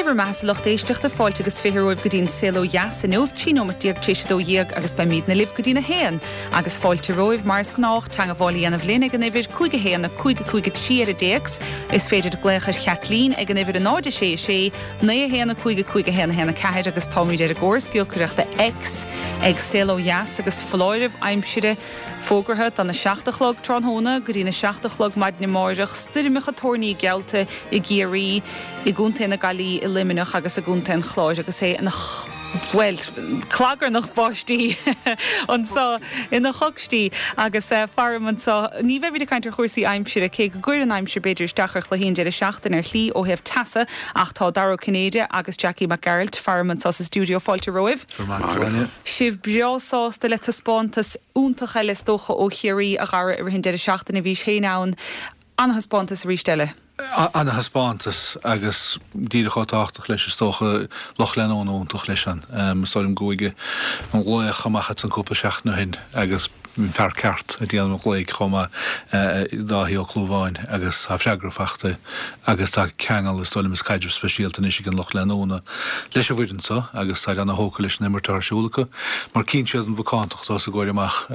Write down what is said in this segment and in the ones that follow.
Dé bhur mbeatha-sa lucht éisteachta, fáilte agus 20 romhaibh go dtí an Saol Ó Dheas inniu, 13 nóimeat tar éis 12 agus beimídne libh go dtí'n 1. Agus fáilte romhaibh, mar is gnách, teangabháil a dhéanamh linn ag an uimhir 5 1 5 5 3 ar an dtéacs. Is féidir glaoch ar Chaitlín ag an uimhir 0 6 6 9 1 5 5 1 1 4 agus táimíd ar an gcóras giolcaireachta X ag Saol Ó Dheas agus foláireamh aimsire Fógartha don 7 a chlog tráthnóna go dtí'n 7 a chlog maidin amáireach, stoirmeacha toirní geallta i gCiarraí, i gContae na Gaillimhe, i Luimneach agus i gContae an Chláir agus é ina, bhuel, clagarnach báistí anso, ina choicstí agus faram anso. Ní bheimid ag caint ar chúrsaí aimsire, cé go gcuireann aimsir b'fhéidir isteach ar chluichí an deireadh seachtaine ar shlí ó thaobh teasa ach tá Dara Ó Cinnéide agus Jackie Mac Gearailt faram anso sa stiúideo. Fáilte romhaibh. Go raibh maith agat. Sibh breá sásta le taispeántas iontach eile is dócha ó Chiarraí, a Dhara, i rith an deireadh seachtaine. Bhís féin ann. Ana-thaispeántas arís eile. Ana-thaispeántas agus díreach chomh tábhachtach leis is dócha, lucht leanúna iontach leis an. Is dóigh liom go bhfuair an glaoch amach ansan cúpla seachtain ó shin agus an fear ceart ag déanamh an ghlaoigh chomh maith, Dáithí Ó Clúmháin, agus tá freagra fachta agus tá ceangal, is dóigh liom, is caidreamh speisialta anois ag an lucht leanúna leis an bhfoireann so agus táid ana-thógtha leis an imirt atá ar siúl acu mar cíonn siad an mhacántacht os a gcomhair amach.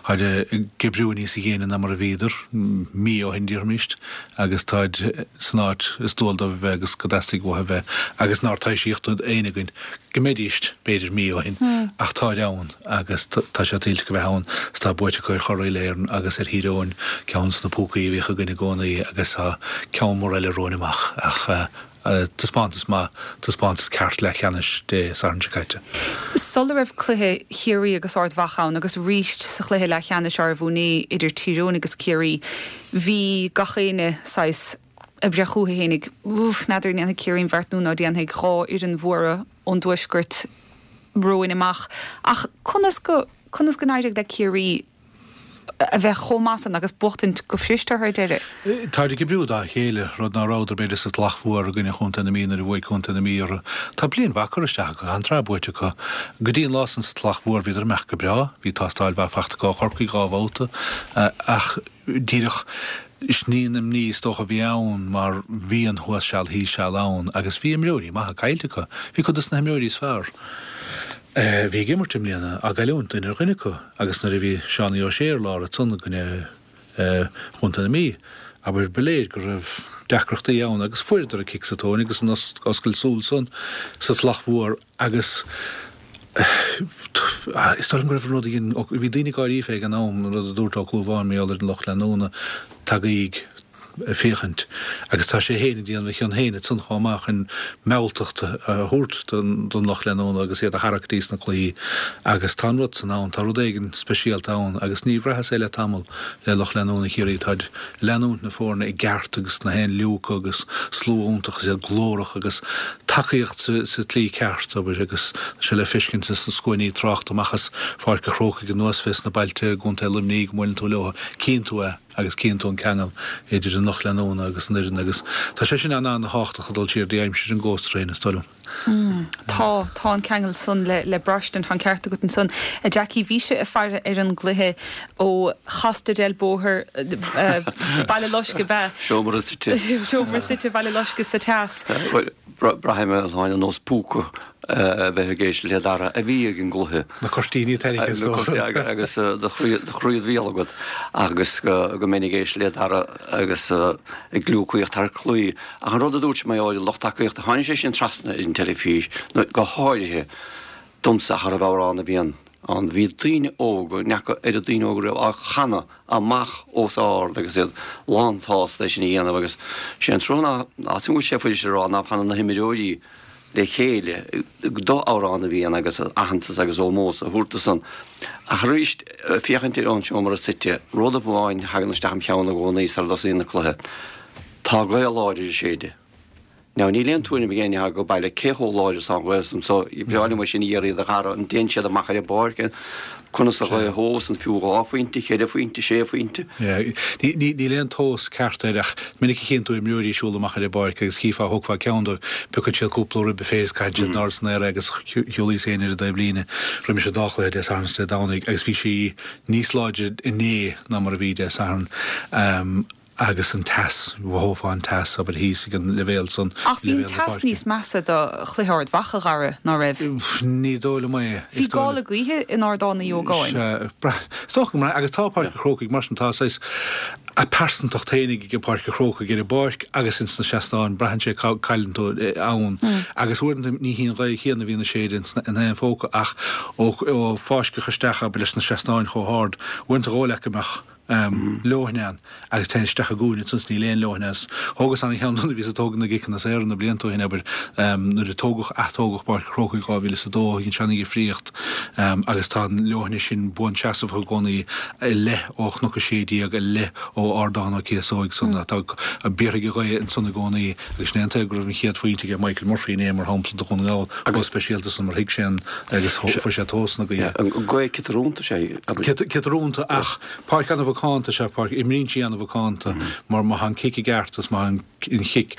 Táid ag oibriú níos déine ná mar a bhíodar mí ó shin, déarfaimíst, agus táid san áit is dual dóibh a bheith agus go dteastaigh uathu a bheith agus nár taibhsíodh d'éinne againn go mbeidíst, b'fhéidir, mí ó shin ach táid ann. agus tá sé tuillte acu a bheith ann 's tá buaite acu ar churaidh Éireann agus ar Thír Eoghain, ceann de na púcaí a bhíodh againn i gcónaí agus tá ceann mór eile romhainn amach ach taispeántas maith, taispeántas ceart leathcheannais Dé Sathairn seo caite. Sula raibh cluiche Chiarraí agus Ard Mhacha ann agus arís sa chluiche leathcheannais arbh inné idir Tír Eoghain agus Ciarraí, bhí gach éinne saghas ag breith chucu fhéinig, Úff, n'fheadar an ndéanfaidh Ciarraí an bheart nó ná déanfaidh, 2 fhoireann mhóra ón dtuaisceart romhainn amach. Ach conas go, conas go n-éirigh le Ciarraí a bheith chomh maith san agus buachtaint go fuirist orthu ar deireadh? Táid ag oibriú dá chéile, rud ná rabhadar b'fhéidir sa Tulach Mhór i gcoinne Chontae na Mí nuair a bhuaigh Contae na Mí orthu. Tá bliain mhaith curtha isteach acu, tá an tsraith buaite acu. Go dtí an lá san sa Tulach Mhór bhíodar ag imeacht go breá, bhí tástáil mhaith fachta acu ó Chorcaigh 2 bhabhta ach díreach sin í an imní is dócha a bhí ann mar bhí an thuas seal thíos seal ann agus bhí imreoirí maithe caillte acu. Bhí cuid dos na himreoirí is fearr a bhí ag imirt i mbliana á gcailliúint, duine ar dhuine acu, agus nuair a bhí Seánie O'Shea ar lár ansan i gcoinne Chontae na Mí, abair, ba léir go raibh deacrachtaí ann agus fuaireadar an cic sa tóin agus an oscailt súl san sa Tulach Mhór Agus is dóigh liom go raibh an rud a dhein, bhí daoine ag gáirí fé ag an am, an rud a dúirt Ó Clúmháin mar gheall ar an lucht leanúna, tagaíg ag féachaint. Agus tá sé féin ag déanamh a chion féin ansan chomh maith chun mealltacht a thabhairt don lucht leanúna agus iad a tharrac dtí sna cluichí. Agus tá an rud san ann, tá rud éigin speisialta ann agus ní bhraitheas é le tamall le lucht leanúna Chiarraí, táid ag leanúint na foirne i gceart agus na haon liúcadh agus slua iontach is iad glórach agus tacaíocht sa tslí ceart, abair, agus tá sé le feiscint sna scuainí tráchta amach as Pháirc a' Chrócaigh anuas fés na bailte i gContae Luimnigh go mbuaileann tú leo, cíonn tú é agus cíonn tú an ceangal idir an lucht leanúna agus an fhoireann agus tá sé sin an-an-thábhachtach ag dul siar dtí aimsir an Ghost Train, is dóigh liom. Tá, tá an ceangal san le, le braistint, tá an ceart agat ansan. A Jackie, bhís ag faire ar an gcluiche ó Chosta del Bóthar, Baile Loiscthe, ab ea? Seomra suite. Seomra suite Bhaile Loiscthe sa teas. Bhuel, braithim a Shláine ar nós púca a bheith ag éisteacht le Dara a bhí ag an gcluiche. Na cuirtíní tarraingthe is dócha. Agus do chroí id bhéal agat agus go mbeinn ag éisteacht le Dara agus ag gliúcaíocht thar claí. Ach an rud a dúirt sé mar gheall ar an lucht tacaíochta, tháinig sé sin trasna ar an teilifís, nó go háirithe domsa cha raibh amhrán a bhí ann. Bhí daoine óga, n'fheaca oiread daoine óga riamh, á chanadh amach os ard agus iad lán-tsásta é sin a dhéanamh agus sé an trua ná, ná go bhfuil sé fuirist a rá, ná fanann na himreoirí le chéile do amhrán a bhí ann agus aitheantas agus ómós a thabhairt dó san. Ach arís, féachaint ar ón seomra suite, rud amháin a thagann isteach im cheann i gcónaí sara dtosaíonn an cluiche, Tá gaoth láidir ag séideadh. Now níl aon tuairim ag éinne atá ag baile cé chomh láidir is atá an ghaoth san so bhreá liom é sin a iarraidh do Dhara, an dtéann siad amach ar an bpáirc, conas an ghaoth a thomhas, an fiú 2 phointe, 4 phointe, 6 phointe? Yeah. Níl aon tomhas ceart air ach minic a chíonn tú imreoirí ag siúl amach ar an bpáirc agus chífeá, thógfá ceann dóibh, piocann siad cúpla rib féir is caitheann siad in airde san aer é agus shiúlaíos féin ar an dtaobhlíne roimis an dá chluiche Dé Sathairn is Dé Domhnaigh agus bhí sí níos láidre inné ná mar a bhí Dé Sathairn. Agus an teas, mhothófá an teas, abair, thíos ag an leibhéal san, Ach bhí an leibhéal na teas páirce. níos measa do chluiche Ard Mhacha, a Dhara, ná raibh? Ní dóigh liom é. Bhí Is dóigh gála gaoithe in Ardán Uí Ógáin. Sea, brath, is dócha go mbraith, agus tá Páirc an Chrócaigh mar sin, tá saghas a pearsantacht féinig ag Páirc an Chrócaigh ar an bpáirc agus ins na seastáin, braitheann sé cá cailleann tú ann. Agus uaireanta ní hí an ghaoth chéanna a bhíonn ag séideadh ins na, in aon phóca ach ó, ó fáisceadh isteach, abair, leis na seastáin chomh hard, uaireanta dhóigh leat go mbeadh, leoithne ann agus téann isteach i gcúinne ansan 's níl aon leoithne ann. Thógas ana-cheann de nuair a bhíos ag tógaint na gciceanna saora na blianta ó shin, abair, nuair a tógadh, ath-tógadh Páirc an Chrócaigh 2002, dhein sé ana-dhifríocht agus tá an leoithne sin buanseasamhach i gcónaí i leith ó Chnoc 16, i leith ó Ardán Ó Cíosóig san, tá, béarfaidh an ghaoth ansan i gcónaí agus sin é an tuige go raibh an chéad phointe ag Michael Murphy inné, mar shampla, do Dhún na nGall, chomh speisialta san mar thuig sé an agus fuair sé tomhas na gaoithe. An gaoth ciotrúnta sé. Ciotrúnta ach páirc ana-mhacánta is ea páirc, imríonn sí ana-mhacánta mar má tá an cic i gceart is má tá an chic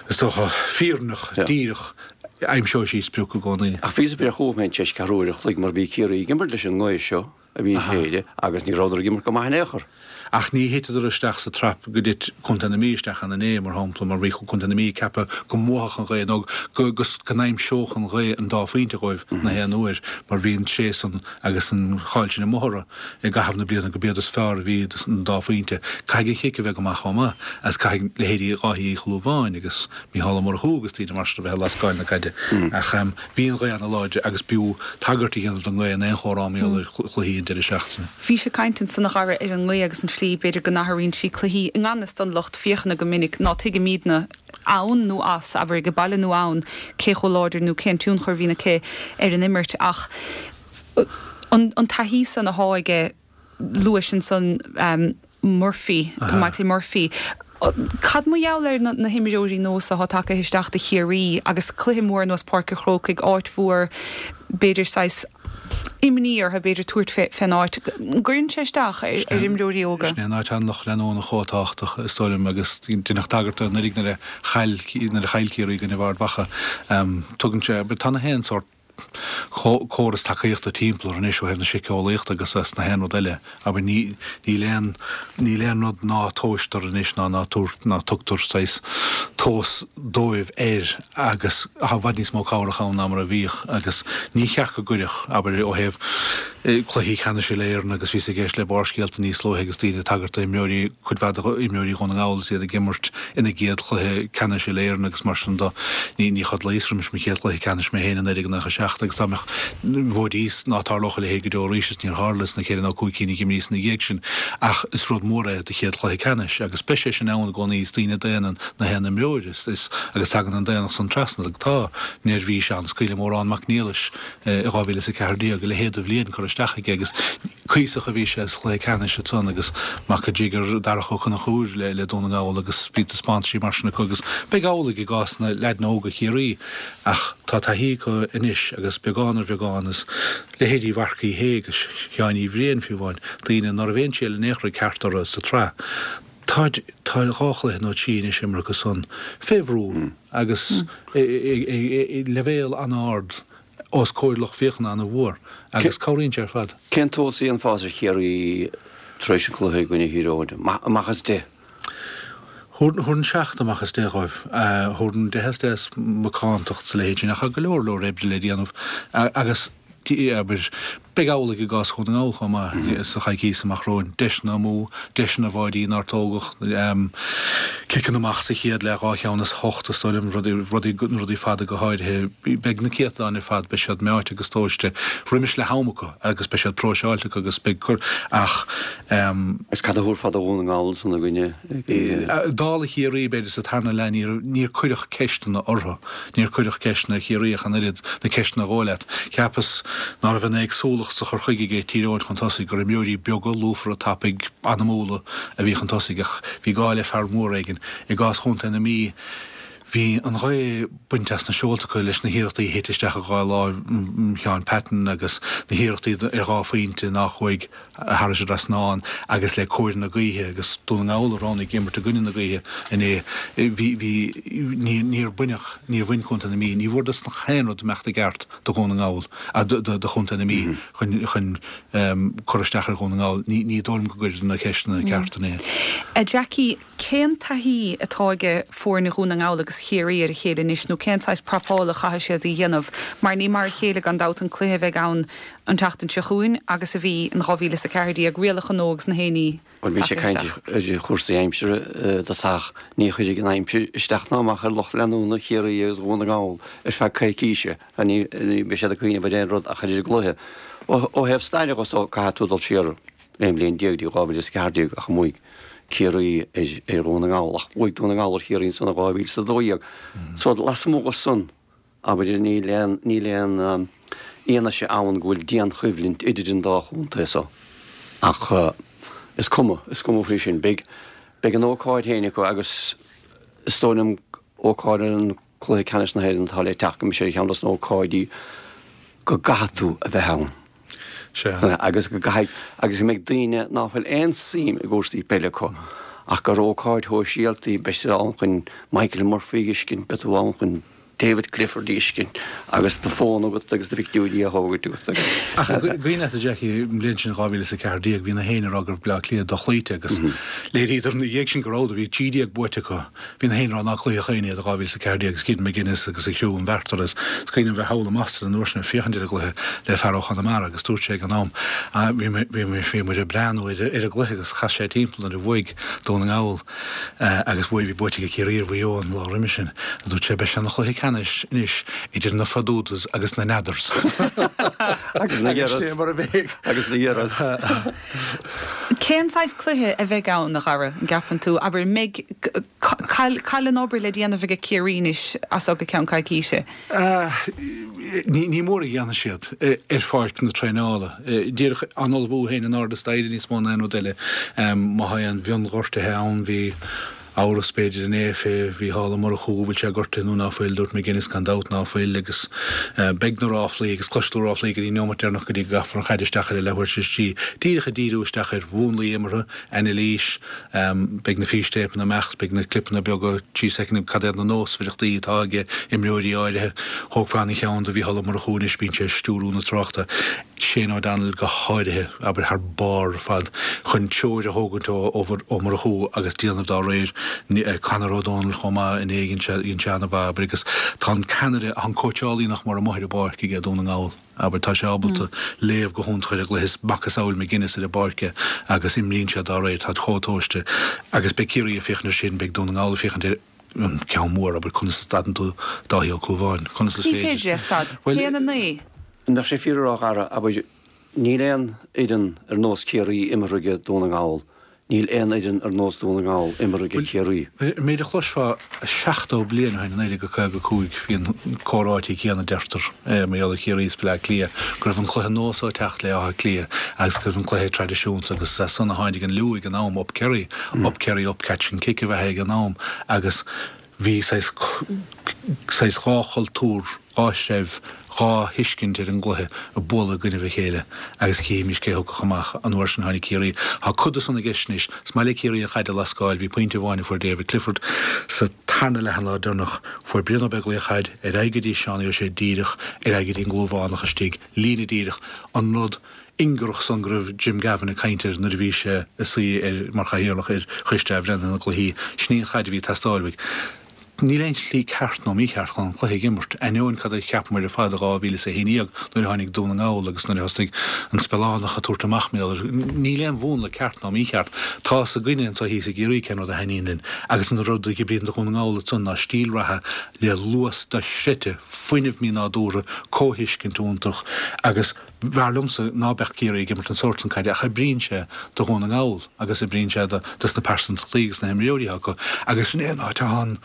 is dócha fírinneach, díreach, aimseoidh sí sprioc i gcónaí. Ach bhíos ag breith chugam féin tar éis ceathrú uair a chloig mar bhí Ciarraí ag imirt leis an ngaoth seo a bhí ag séideadh agus ní rabhadar ag imirt go maith in aon chor. Ach ní thiteadar isteach sa trap go dtit Contae na Mí isteach ann inné, mar shampla, mar bhí Contae na Mí ag ceapadh go mbuafadh an ghaoth nó go go n-aimseodh an ghaoth an dá phointe dhóibh na haon uair, mar bhí an tréith san agus an cháil sin amuigh orthu i gcaitheamh na bliana go b'iad is fearr a bhí don dá phointe. Caithfidh an chic a bheith go maith chomh maith agus caithfidh leithéidí Dháithí Uí Shúilleabháin agus Mícheál Ó Murchú agus daoine mar sin a bheith ag lascáil na caide. Ach bhí an ghaoth ana-láidir agus b'fhiú tagairt a dhéanamh don ngaoth in aon chomhrá mar gheall ar chluichí an deireadh seachtaine. Bhís ag caint ansan a Dhara ar an ngaoth agus an tslí b'fhéidir go n-athraíonn sí cluichí i ngan fhios don lucht féachana go minic ná tuigimidne ann nó as, abair ag baile nó ann, cé chomh láidir nó cén tionchar a bhíonn aici ar an imirt ach an taithí san athá aige Luais ansan Murphy, Michael Murphy. Cad mar gheall ar na himreoirí nua so athá tagaithe isteach do Chiarraí agus cluiche mór ar nós Páirc an Chrócaigh, áit mhór, b'fhéidir saghas imní orthu b'fhéidir tabhairt fén áit. An gcuireann sé isteach ar imreoirí óga? Sin é an áit atá an lucht leanúna chomh tábhachtach, is dóigh liom, agus deineadh tagairt dó anuraidh nuair a chaill nuair a chaill Ciarraí i gcoinnibh Ard Mhacha. Tugann sé, tá na haon sórt córas tacaíochta timpeall orthu anois ó thaobh na síceolaíochta agus as na haon rud eile. Abair, ní, níl aon, níl aon rud ná tomhaistear anois ná ná tabhairt, ná tugtar saghas tomhas dóibh air agus tá i bhfad níos mó cabhrach ann ná mar a bhíodh agus ní cheart go gcuirfeadh, abair, ó thaobh cluichí ceannais Uile-Éireann agus bhíos ag éist le Barrscéalta níos luaithe agus daoine ag tagairt d'imreoirí, cuid mhaith d'imreoirí Dhún na nGall is iad ag imirt ina gcéad chluiche ceannais Uile-Éireann agus mar sin de. Ní chodlaíos roimis mo chéad chluiche ceannais mé féin i 1997 agus dá mbeadh bhfóidís ná tarlódh a leithéid go deo arís is níor tharla sna ceithre nó cúig cinn a d'imríos ina dhiaidh sin ach is rud mór é do chéad chluiche ceannais agus beidh sé sin ann i gcónaí is daoine daonna na haon imreoir is agus tagann an daonnacht san trasna tá neirbhís ann is cuimhin liom Odhrán Mac Niallais i 2014, a leithéid de bhliain curtha isteach aige agus cuíosach a bhí sé sa chluiche ceannais ansan agus mac an jiger Darach Ó Conchúir le Dún na nGall agus bhí taispeántaisí mar sin acu agus beidh amhlaidh i gcás na leaideanna óga Chiarraí ach tá taithí acu anois agus beagán ar bheagán is leithéidí Mharc Uí Shé agus Sheáin Uí Bhriain fiú amháin, daoine ná raibh aon triail in aon chor ceart orthu sa tsraith. Tá tá dhá chluiche nó trí anois imeartha acu san fé bhrú agus i leibhéal an-ard os comhair lucht féachana an-mhór agus cabhraíonn sé ar fad. Cén tomhas a dhéanfá ar Chiarraí tar éis an chluiche i gcoinne Thír Eoghain? Amach as 10? Thabharfainn 7 amach as 10 dhóibh. Thabharfainn 10 as 10 as macántacht is a leithéid sin ach tá go leor leor oibre le déanamh agus abair, beidh amhlaidh i gcás Dhún na nGall chomh maith sa choicíos amach romhainn. Deiseanna amú, deiseanna báidí nár tógadh, ciceanna amach sa chéad leath, dhá cheann as hocht is dóigh liom, rudaí, rudaí, rudaí fada go háirithe. Beidh na céatadáin ar fad, beidh siad meáite agus tomhaiste roimis le ham acu agus beidh siad próiseáilte acu agus beidh cur ach. Is cad a thabharfá do Dhún na nGall ansan i gcoinne. Dála Chiarraí b'fhéidir sa tarna leath níor, níor cuireadh ceisteanna orthu. Níor cuireadh ceisteanna ar Chiarraí ach an oiread, na ceisteanna a dhóigh leat. Cheapas ná raibh an éagsúlacht sa chur chuige ag Tír Eoghain chun tosaigh, gur imreoirí beaga, lúfara, tapaidh, anamúla a bhí chun tosaigh ach bhí gá le fear mór éigin. I gcás chontae na Mí, Bhí an ghaoth bainte as na seolta acu leis na hiarrachtaí a thit isteach i dhá láimh Sheáin Patton agus na hiarrachtaí ar dhá phointe nár chuaigh thar an dtrasnán agus le cóir na gaoithe agus Dún na nGall a roghnaigh imirt i gcoinne na gaoithe inné. Bhí, bhí, ní, níor baineadh, níor bhain Contae na Mí, ní bhfuarthas aon rud imeacht i gceart do Dhún na nGall, do, do Chontae na Mí chun, chun cur isteach ar Dhún na nGall. Ní, ní dóigh liom go gcuireadar na ceisteanna cearta inné. A Jackie, Cén taithí atá aige foirne Dhún na nGall agus Chiarraí ar a chéile anois nó cén saghas prapála a chaithfidh siad a dhéanamh mar ní mar a chéile gan dabht an cluiche a bheidh ann an tseachtain seo chugainn agus a bhí in 2014, rialacha nua agus na haon ní Bhuel bhí sé ag caint ar chúrsaí aimsire i dtosach. Ní chuirfidh an aimsir isteach ná amach ar lucht leanúna Chiarraí agus Dhún na nGall ar feadh coicíse. Ní bheidh siad ag cuimhneamh ar aon rud ach ar an gcluiche. Ó thaobh staire dhe so caithfidh tú dul siar 11 bliain dtí 2014 ach bhuaigh Ciarraí ar Dhún na nGall ach bhuaigh Dún na nGall ar Chiarraí ansan i 2012. So lasmuigh dhe san, abair, níl aon, níl aon fhianaise ann go bhfuil dianchoimhlint idir an dá chontae so. Ach is cuma, is cuma faoi sin. Beidh, beidh an ócáid féin acu agus is dóigh liom ócáid an Cluiche Ceannais na hÉireann atá le teacht go mbeidh sé ar cheann dos na hócáidí go gcaithfidh tú a bheith ann. Sea. Agus go gcaithfidh, agus go mbeidh daoine ná fuil aon suim i gcúrsaí peile acu, ach gur ócáid shóisialta í, beidh siad ann chun Michael Murphy a fheiscint, beidh tú ann chun David Clifford a fheiscint, agus do fón agat agus do phictiúirí á thógaint agat agus. Ach an cuimhin leat, a Jackie, an bhliain sin 2014, bhí na héinne ag rá go raibh Bleá Cliath dochloíte agus léiríodar ina dhiaidh sin go rabhadar, bhí 13 buaite acu. Bhí na héinne ag rá nár cloíodh éinne iad i 2014 agus Kieran McGuinness agus a chriú an bheirt orthu. Is cuimhin liom bheith thall i mBoston an uair sin ag féachaint ar an gcluiche le fear ó Chonamara agus dúirt sé ag an am, bhí bhí muid ag breathnú ar an gcluiche agus chas sé timpeall nuair a bhuaigh Dún na nGall agus bhuaigh, bhí buaite ag Ciarraí ar Mhaigh Eo an lá roimhe sin. Dúirt sé beidh sé ina chluiche ceannais anois idir na Fadudas agus na Nadders. Agus na Agus sin é mar a bheidh. Agus na Gheras. Cén saghas cluiche a bheidh ann, a Dhara, an gceapann tú? Abair, an mbeidh, cá bhfuil an obair le déanamh aige Ciarraí anois as so go ceann coicíse? Ní mór a dhéanfaidh siad ar pháirc na traenála. Díreach á n-ullmhú féin in airde staighre níos mó ná aon rud eile. Má tá aon mhionghortuithe ann, bhí. Amhras, b'fhéidir, inné fé Mhícheál Ó Murchú, an bhfuil sé gortaithe nó ná fuil. Dúirt McGuinness gan dabht ná fuil agus beidh na ráflaí agus cloisfidh tú ráflaí go dtí an neomat deireanach go dtí go gcaithfear an chaid isteach ar an leathuair tar éis a trí. Díreach ag díriú isteach ar mhúnlaí imeartha, anailís, beidh na fístéipeanna ag imeacht, beidh na clipeanna beaga, trí soicind, cad iad na nósmhaireachtaí atá ag imreoirí áirithe. Thógfá an-cheann de Mhícheál Ó Murchú anois, bíonn sé ag stiúrú na tráchta. Shane O'Donnell go háirithe, abair, thar barr ar fad chun treoir a thógaint ó Ó Murchú agus déanamh dá réir. Conor O'Donnell chomh maith inné, dhein sé, dhein sé an-mhaith, abair, agus tá an ceannaire, tá an cóitseálaí nach mór amuigh ar an bpáirc aige Dún na nGall, abair, tá sé ábalta léamh go hiontach ar an gcluiche, is macasamhail McGuinness ar an bpáirc é agus imríonn sé dá réir, táid chomh tomhaiste agus beidh Ciarraí ag féachaint ar sin, beidh Dún na nGall ag féachaint ar an ceann mór, abair, conas a stadann tú Dáithí Ó Clúmháin, conas is féidir. Ní féidir é a stad. Bhuel, 1-9. An mbeadh sé fíor a rá, a Dhara, abair, níl aon fhoireann ar nós Ciarraí imeartha aige Dún na nGall, níl aon fhoireann ar nós Dún na nGall imeartha aige Ciarraí. Bhuel, an méid a chloisfeá 70 bliain ó shin, i 1955, bhí an comhráití céanna, deirtear, mar gheall ar Chiarraí is Bleá Cliath, go raibh an cluiche nua so ag teacht le Áth Cliath agus go raibh an cluiche traidisiúnta agus is as san a tháinig an liú ag an am, Up Kerry, Up Kerry, Up Catch and Kick a bheith ag an am agus bhí saghas, saghas dhá chultúr, dhá threibh, dhá thuiscint ar an gcluiche ag bualadh i gcoinnibh a chéile agus chífimís cé thiocfadh amach. An uair sin tháinig Ciarraí. Tá cuid de san i gceist anois. Is maith le Ciarraí an chaid a lascáil. Bhí pointe amháin a fuair David Clifford sa tarna leath an lá deireanach. Fuair Brian Ó Beaglaoich an chaid ar aghaidh go dtí Seánie Ó Sé díreach ar aghaidh go dtí an gClúmhánach istigh, líne díreach, an rud ingearach san go raibh Jim Gavin ag caint air nuair a bhí sé ag suí ar mar chathaoirleach ar Choiste Athbhreithnithe na gCluichí. Sin í an chaid a bhí ag teastáil uaidh. Níl aon tslí ceart nó mícheart chun an cluiche a imirt, ainneoin cad a cheapamar ar fad i 2011 nuair a tháinig Dún na nGall agus nuair a thosnaigh an Spealánach ag tabhairt amach mar gheall air. Níl aon mhúnla ceart ná mícheart. Tá fhios againne anseo thíos i gCiarraí cén rud a thaitníonn linn agus an rud a oibríonn do Dhún na nGall ansan ná stíl reatha le luas dochreidte, fuinneamh mínádúrtha, comhthuiscint iontach agus B'fhearr liomsa ná beadh Ciarraí ag imirt an sórt san caide ach oibríonn sé do Dhún na nGall agus oibríonn sé do dos na pearsantachtaí agus na himreoirí atá acu agus sin é an áit atá an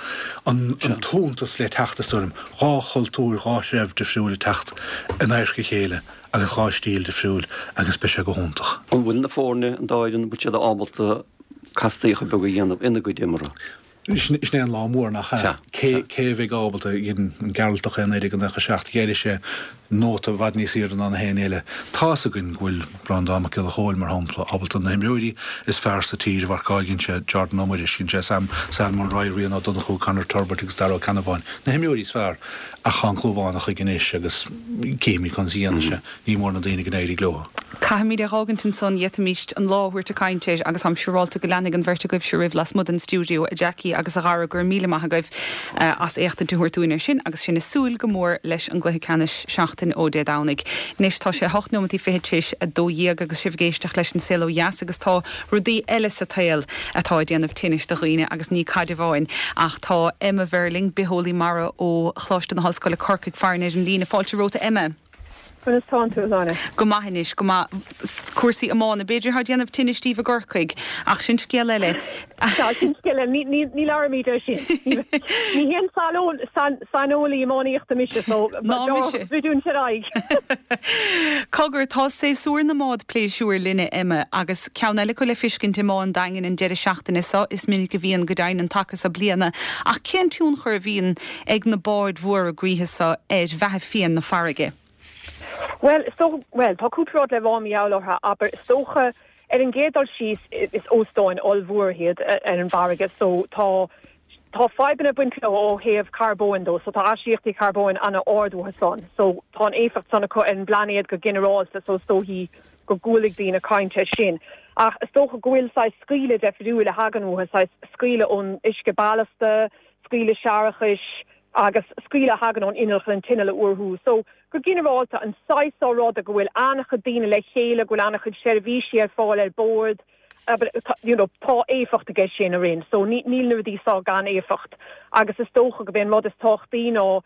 an t-iontas le teacht is dóigh liom. Dhá chultúr, dhá threibh difriúil ag teacht in adharca a chéile agus dhá stíl difriúil agus beidh sé go hiontach. An bhfuil na foirne, an dá fhoireann, an bhfuil siad ábalta castaíocha beaga a dhéanamh ina gcuid imeartha? Sin é an lá mór, nach ea? Cé cé a bheidh ábalta, dhein an Gearaltach é i 1997, d'éirigh sé nóta i bhfad níos aoirde ná na héinne eile. Tá's againn go bhfuil Breandán Mac Giolla Chóill, mar shampla, ábalta na himreoirí is fearr sa tír a mharcáil, dhein sé Jordan Ó Muiris, dhein sé Sam Sam Mulroy, Rian Ó Donnchú, Conor Turbitt agus Dara Ó Ceannabháin, na himreoirí is fearr. Ach tá an Clúmhánach aige anois agus cífimid conas a dhéanfaidh sé. Ní mór na daoine go n-éirí leo. Caithfimid é dh'fhágaint ansan, d'fhéadfaimíst an lá a thabhairt ag caint air agus táim siúrálta go leanfaidh an bheirt agaibhse roimh lasmuigh den stiúideo, a Jackie agus a Dhara, go raibh míle maith agaibh as éachtaint a thabhairt dúinn air sin agus sinn ag súil go mór leis an gcluiche ceannais seachtain ó Dé Domhnaigh. Anois tá sé 8 nóimeataí fichead tar éis 12 agus sibh ag éisteacht leis an Saol Ó Dheas agus tá rudaí eile sa tsaol atá ag déanamh tinnis do dhaoine agus ní caid amháin ach tá Emma Verling, bitheolaí mara ó Choláiste na hOllscoile Corcaigh farainn ar an líne. Fáilte romhat a Emma. Conas tánn tú, a Shláine? Go maith anois, go maith. Cúrsaí iomána, b'fhéidir, atá ag déanamh tinnis daoibh i gCorcaigh, ach sin scéal eile. Sea, sin scéal eile. Ní, ní, ní labhraímid air sin. Ní haon saineolaí iománaíochta mise, so Ná mise. Bhridiúint ar aghaidh. Cogar, tá séasúr na mbád pléisiúir linn, a Emma, agus ceann eile acu le fiscint i mBá an Daingin an deireadh seachtaine seo. Is minic a bhíonn, go deimhin, an taca seo bliana. Ach cén tionchar a bhíonn ag na báid mhóra gnaithe seo ar bheatha fiáin na farraige? Bhuel, is dócha, bhuel, tá cúpla rud le rá mar gheall orthu, abair, is dócha, ar an gcéad dul síos, is óstáin ollmhóra iad ar an bhfarraige, so tá, tá fadhbanna ag baint leo ó thaobh carbóin dó, so tá astaíochtaí carbóin an-ard uathu san, so tá an éifeacht san acu ar an bplainéad go ginearálta, so is dóichí go gcualaigh daoine caint air sin. Ach is dócha go bhfuil saghas scaoileadh deifriúil a thagann uathu, saghas scaoileadh ón uisce ballasta, scaoileadh séarachais agus scaoileadh a thagann ón inneall chun an t-inneall a fhuarú. So, go ginearálta, an saghas seo ruda go bhfuil an-chuid daoine le chéile, go bhfuil an-chuid seirbhísí ar fáil ar bord, you know, tá éifeacht aige sin orainn. So, ní, níl na rudaí seo gan éifeacht. Agus is dócha gurb é an rud is tábhachtaí ná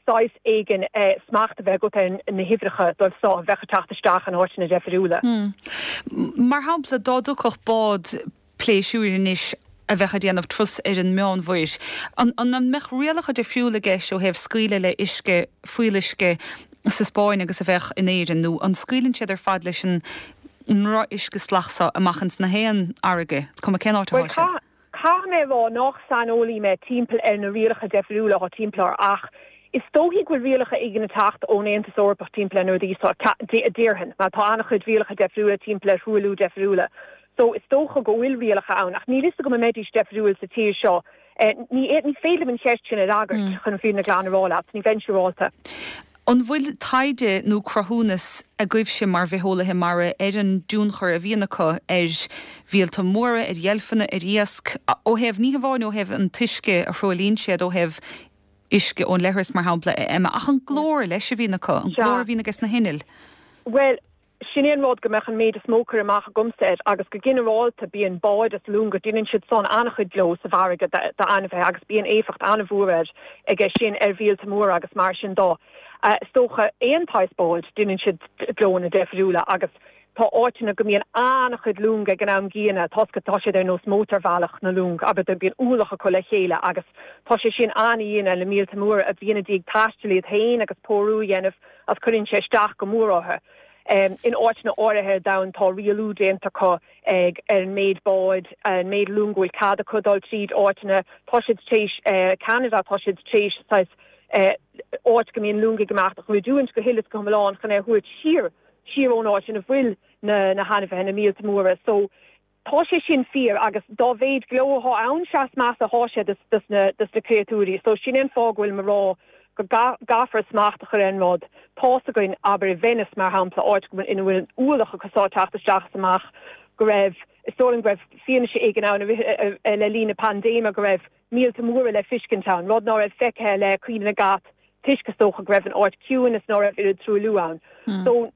saghas éigin smacht a bheith agat ar na huimhreacha dóibh seo a bheadh ag teacht isteach in áiteanna deifriúla. Mar shampla, dá dtiocfadh bád pléisiúir anois a bheadh ag déanamh turas ar an Meánmhuir. An mbeadh rialacha difriúla i gceist ó thaobh scaoileadh le uisce, fuíolluisce sa Spáinn agus a bheadh in Éirinn, nó an scaoileann siad ar fad leis an ndrochuisce salach so amach ins na haon fharraige, is cuma cén áit atá siad? Caithfidh mé a rá nach saineolaí mé timpeall ar na rialacha deifriúla atá timpeall air ach is dóichí go bhfuil rialacha éigin ag teacht ón Aontas Eorpach timpeall ar na rudaí seo, déarfainn, mar tá an-chuid rialacha deifriúla timpeall ar thruailliú deifriúla. So, is dócha go bhfuil rialacha ann, ach níl fhios agam an mbeidís deifriúil sa tír seo. Ní ní féidir liom an cheist sin a fhreagairt, chun an fhírinne glan a rá leat. Ní bheinn siúrálta. An bhfuil taighde nó cruthúnas agaibhse mar bhitheolaithe mara ar an dtionchar a bhíonn acu ar mhíolta móra, ar dheilfeanna, ar iasc, ó thaobh, ní hamháin ó thaobh an t-uisce a thruaillíonn siad, ó thaobh uisce ón leithreas, mar shampla, a Emma, ach an glór leis a bhíonn acu, an glór a bhíonn ages na hinnill? Bhuel, Sin é an rud go mbeadh an méid is mó cur amach agamsa air agus go ginearálta bíonn báid is longa, déanann siad san an-chuid gleo sa bhfarraige d'ainmhithe agus bíonn éifeacht an-mhór air aige sin ar mhíolta móra agus mar sin dó. Is dócha aon tsaghas báid, déanann siad gleonna deifriúla agus tá áiteanna go mbíonn an-chuid long ag an am gcéanna toisc tá siad ar nós mótarbhealach na long, abair, bíonn ualach acu le chéile agus tá sé sin an-dhian ar na míolta móra a bhíonn ag iarraidh taisteal iad féin agus pórú a dhéanamh agus cuireann sé isteach go mór orthu. In áiteanna áirithe ar domhan tá rialú déanta acu ag ar an méid báid, an méid long go bhfuil cead acu dul tríd áiteanna. Tá siad tar éis, Ceanada, tá siad tar éis saghas áit go mbíonn long ag imeacht a dhruidiúint go huile is go hiomlán chun é a thabhairt siar, siar ón áit ina bhfuil na na hainmhithe, na míolta móra. So. Tá sé sin fíor agus dá mhéid gleo athá ann sea is measa athá sé dos na créatúirí. So sin é an fáth go bhfuilim a rá go gcaithfear smacht a chur ar an rud. Tá's againn, abair i Venice mar shampla, áit go bhfuil ina bhfuil an ualach acu seo ag teacht isteach is amach, go raibh, is dóigh liom go raibh fianaise éigin ann le linn na paindéime go raibh míolta móra le fiscint ann, rud ná raibh feicthe le cuimhne na gcat toisc is dócha go raibh an áit ciúin is ná raibh oiread truailliú ann. So.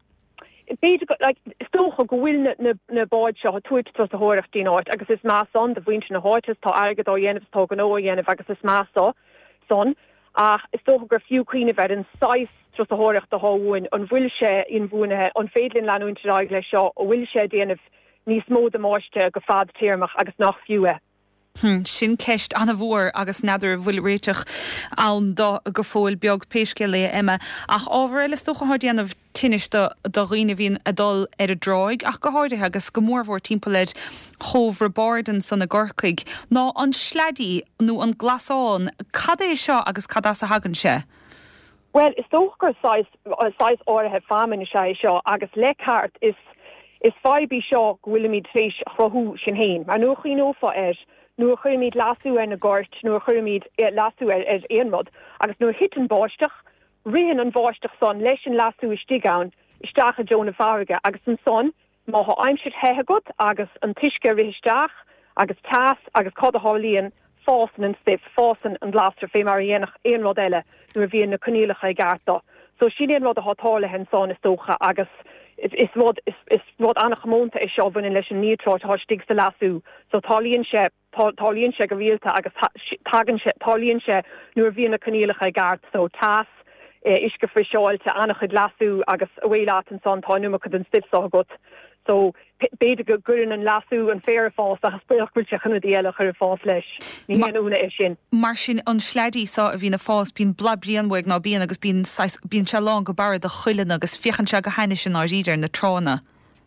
B'fhéidir go, like, is dócha go bhfuil na, na, na báid seo ag tabhairt turasóireacht dtí'n áit agus is maith san do mhuintir na háite is tá airgead á dhéanamh is tá gnó á dhéanamh agus is maith so, san. Ach is dócha gur fiú cuimhneamh ar an saghas turasóireachta atá uainn, an bhfuil sé inbhuanaithe, an féidir linn leanúint ar aghaidh leis seo, an bhfuil sé ag déanamh níos mó damáiste go fadtéarmach agus nach fiú é. Hm, sin ceist an-mhór agus n'fheadar an bhfuil réiteach ann do go fóill beag, pé scéal é a Emma. Ach ábhar eile is dócha atá ag déanamh tinnis do do dhaoine a bhíonn ag dul ar an dtráigh ach go háirithe agus go mórmhór timpeall ar Chóbh Roibeáird ansan i gCorcaigh ná an sleaidí nó an glasán. Cad é seo agus cad as a thagann sé? Bhuel, is dócha gur saghas, saghas áirithe feamainn is ea é seo agus le ceart is, is fadhb í seo go bhfuilimid tar éis a chruthú sinn féin. Mar nuair a chuimhneofá air, nuair a chuirimid leasú ar na goirt, nuair a chuirimid leasú ar, ar aon rud agus nuair a thiteann báisteach, ritheann an bháisteach san leis an leasú istigh ann isteach i dtreo na farraige agus ansan Má thá aimsir the agat agus an t-uisce ag rith isteach agus teas agus cad a tharlaíonn, fásann an stuif, fásann an glasra fé mar a dhéanfadh aon rud eile nuair a bhíonn na coinníollacha i gceart do. So sin é an rud athá tarlaithe ansan is dócha agus is rud, is rud an-chomónta é seo a bhaineann leis an níotráit athá istigh sa leasú. So tarlaíonn sé. Tarlaíonn sé go rialta agus tagann sé, tarlaíonn sé nuair a bhíonn na coinníollacha i gceart, so teas, uisce friseáilte, an-chuid leasú agus away leat ansan, tá an iomarca den stuif so agat. So b'fhéidir go gcuireann an leasú an féar ag fás ach is baolach go bhfuil sé chun rudaí eile a chur ag fás leis. Ní haon ionadh é sin. Mar sin an sleaidí so a bhíonn ag fás, bíonn boladh bréan uaidh ná bíonn agus bíonn saghas, bíonn sé lán go barra de chuileanna agus féachann sé go hainnis i ndáiríre ar na tránna.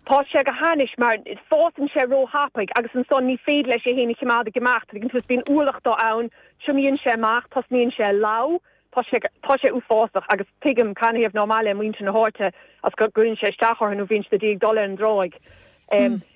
Tá sé go hainnis mar fásann sé ró-thapaidh agus ansan ní féidir leis é fhéin a chimeád ag imeacht, tuigeann tú, is bíonn ualach dó ann, triomaíonn sé amach, tosnaíonn sé ag leá, tá sé, tá sé uafásach agus tuigim canathaobh nár maith le muintir na háite as go gcuireann sé isteach orthu nó bhíonn siad i ndiaidh dul ar an dtráigh.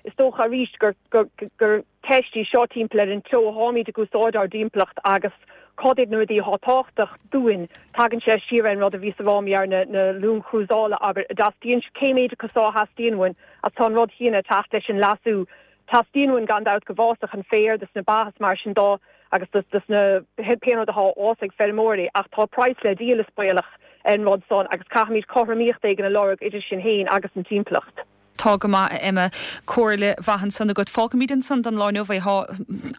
Is dócha arís gur, gur, gur ceist í seo timpeall ar an treo a tháimid ag úsáid ár dtimpeallacht agus cad iad na rudaí atá tábhachtach dúinn. Tagann sé siar ar an rud a bhíos a rá mar na na loing chrúsála, abair, a dteastaíonn, cé méid acu so a theastaíonn uainn agus tá an rud chéanna ag teacht leis an leasú. Teastaíonn uainn gan dabht go bhfásfadh an féar dos na ba is mar sin dó agus dos dos na pé rud atá á fhás ag feirmeoirí ach tá praghas le díol is baolach ar an rud san agus caithfimid cothromaíocht éigin a lorg idir sinn féin agus an timpeallacht. Tá go maith, a Emma. Comhairle mhaith ansan agat. Fágfaimid ansan don lá inniu é. Tá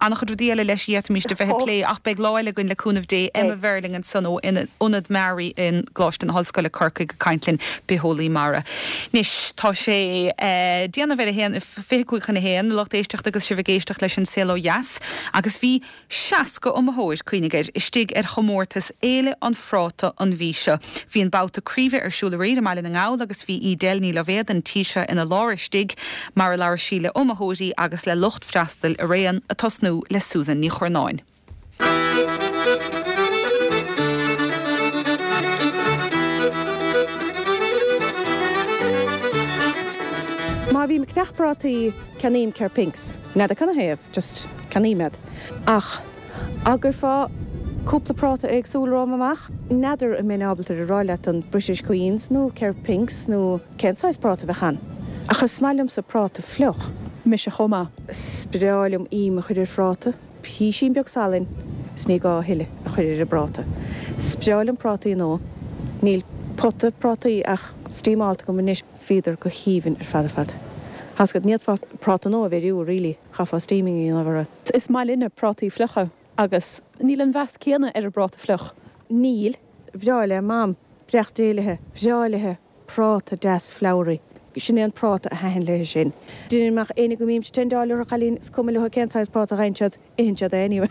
an-chuid rudaí eile leis a d'fhéadfaimis a bheith ag plé ach beidh lá eile againn le cúnamh Dé. Emma Verling ansan ó Ionad MARI i gColáiste na hOllscoile, Corcaigh ag caint linn, bitheolaí mara. Anois tá sé déanamh ar a haon, 25 chun a haon, a lucht éisteachta agus sibh ag éisteacht leis An Saol Ó Dheas agus bhí 60 iomaitheoir, cuimhnigh air, istigh ar chomórtas Fhéile an Phráta an mhí seo. Bhí an babhta craoibhe ar siúl aréir i mBaile na nGall agus bhí Edel Ní Loibhéad an tí seo ina lár istigh mar a labhair sí le iomaitheoirí agus le lucht freastail araon, ag tosnú le Susan Ní Churnáin. Má bhím ag ceannach prátaí, ceannaím Kerpink's. N'fheadar canathaobh, just ceannaím iad. Ach dá gcuirfeá cúpla práta éagsúil romham amach, n'fheadar an mbeinn ábalta a rá leat an British Queens nó Kerpink's nó cén saghas práta a bheadh ann. Ach is maith liomsa práta fliuch. Mise chomh maith. Is breá liom im a chur ar phráta. Písín beag salainn is ní gá a thuilleadh a chur ar an bpráta. Is breá liom prátaí nua. Níl pota prátaí ach steamálta agam anois. Bhíodar go haoibhinn ar fad ar fad. Thá's agat, ní fhéadfá práta nua a bheiriú really, chaithfeá steaming a dhéanamh orthu. Is maith linne prátaí fliucha agus níl an mheas céanna ar an bpráta fliuch. Níl. Bhreá le Mam brioche déilithe, bhreá léithe práta deas flowery. Sin é an práta a thaitin léithe sin. Deirim ach éinne go mbímse tendeáil orthu chailín, is cuma leo cén saghas práta a gheibheann siad. Itheann siad é anyway.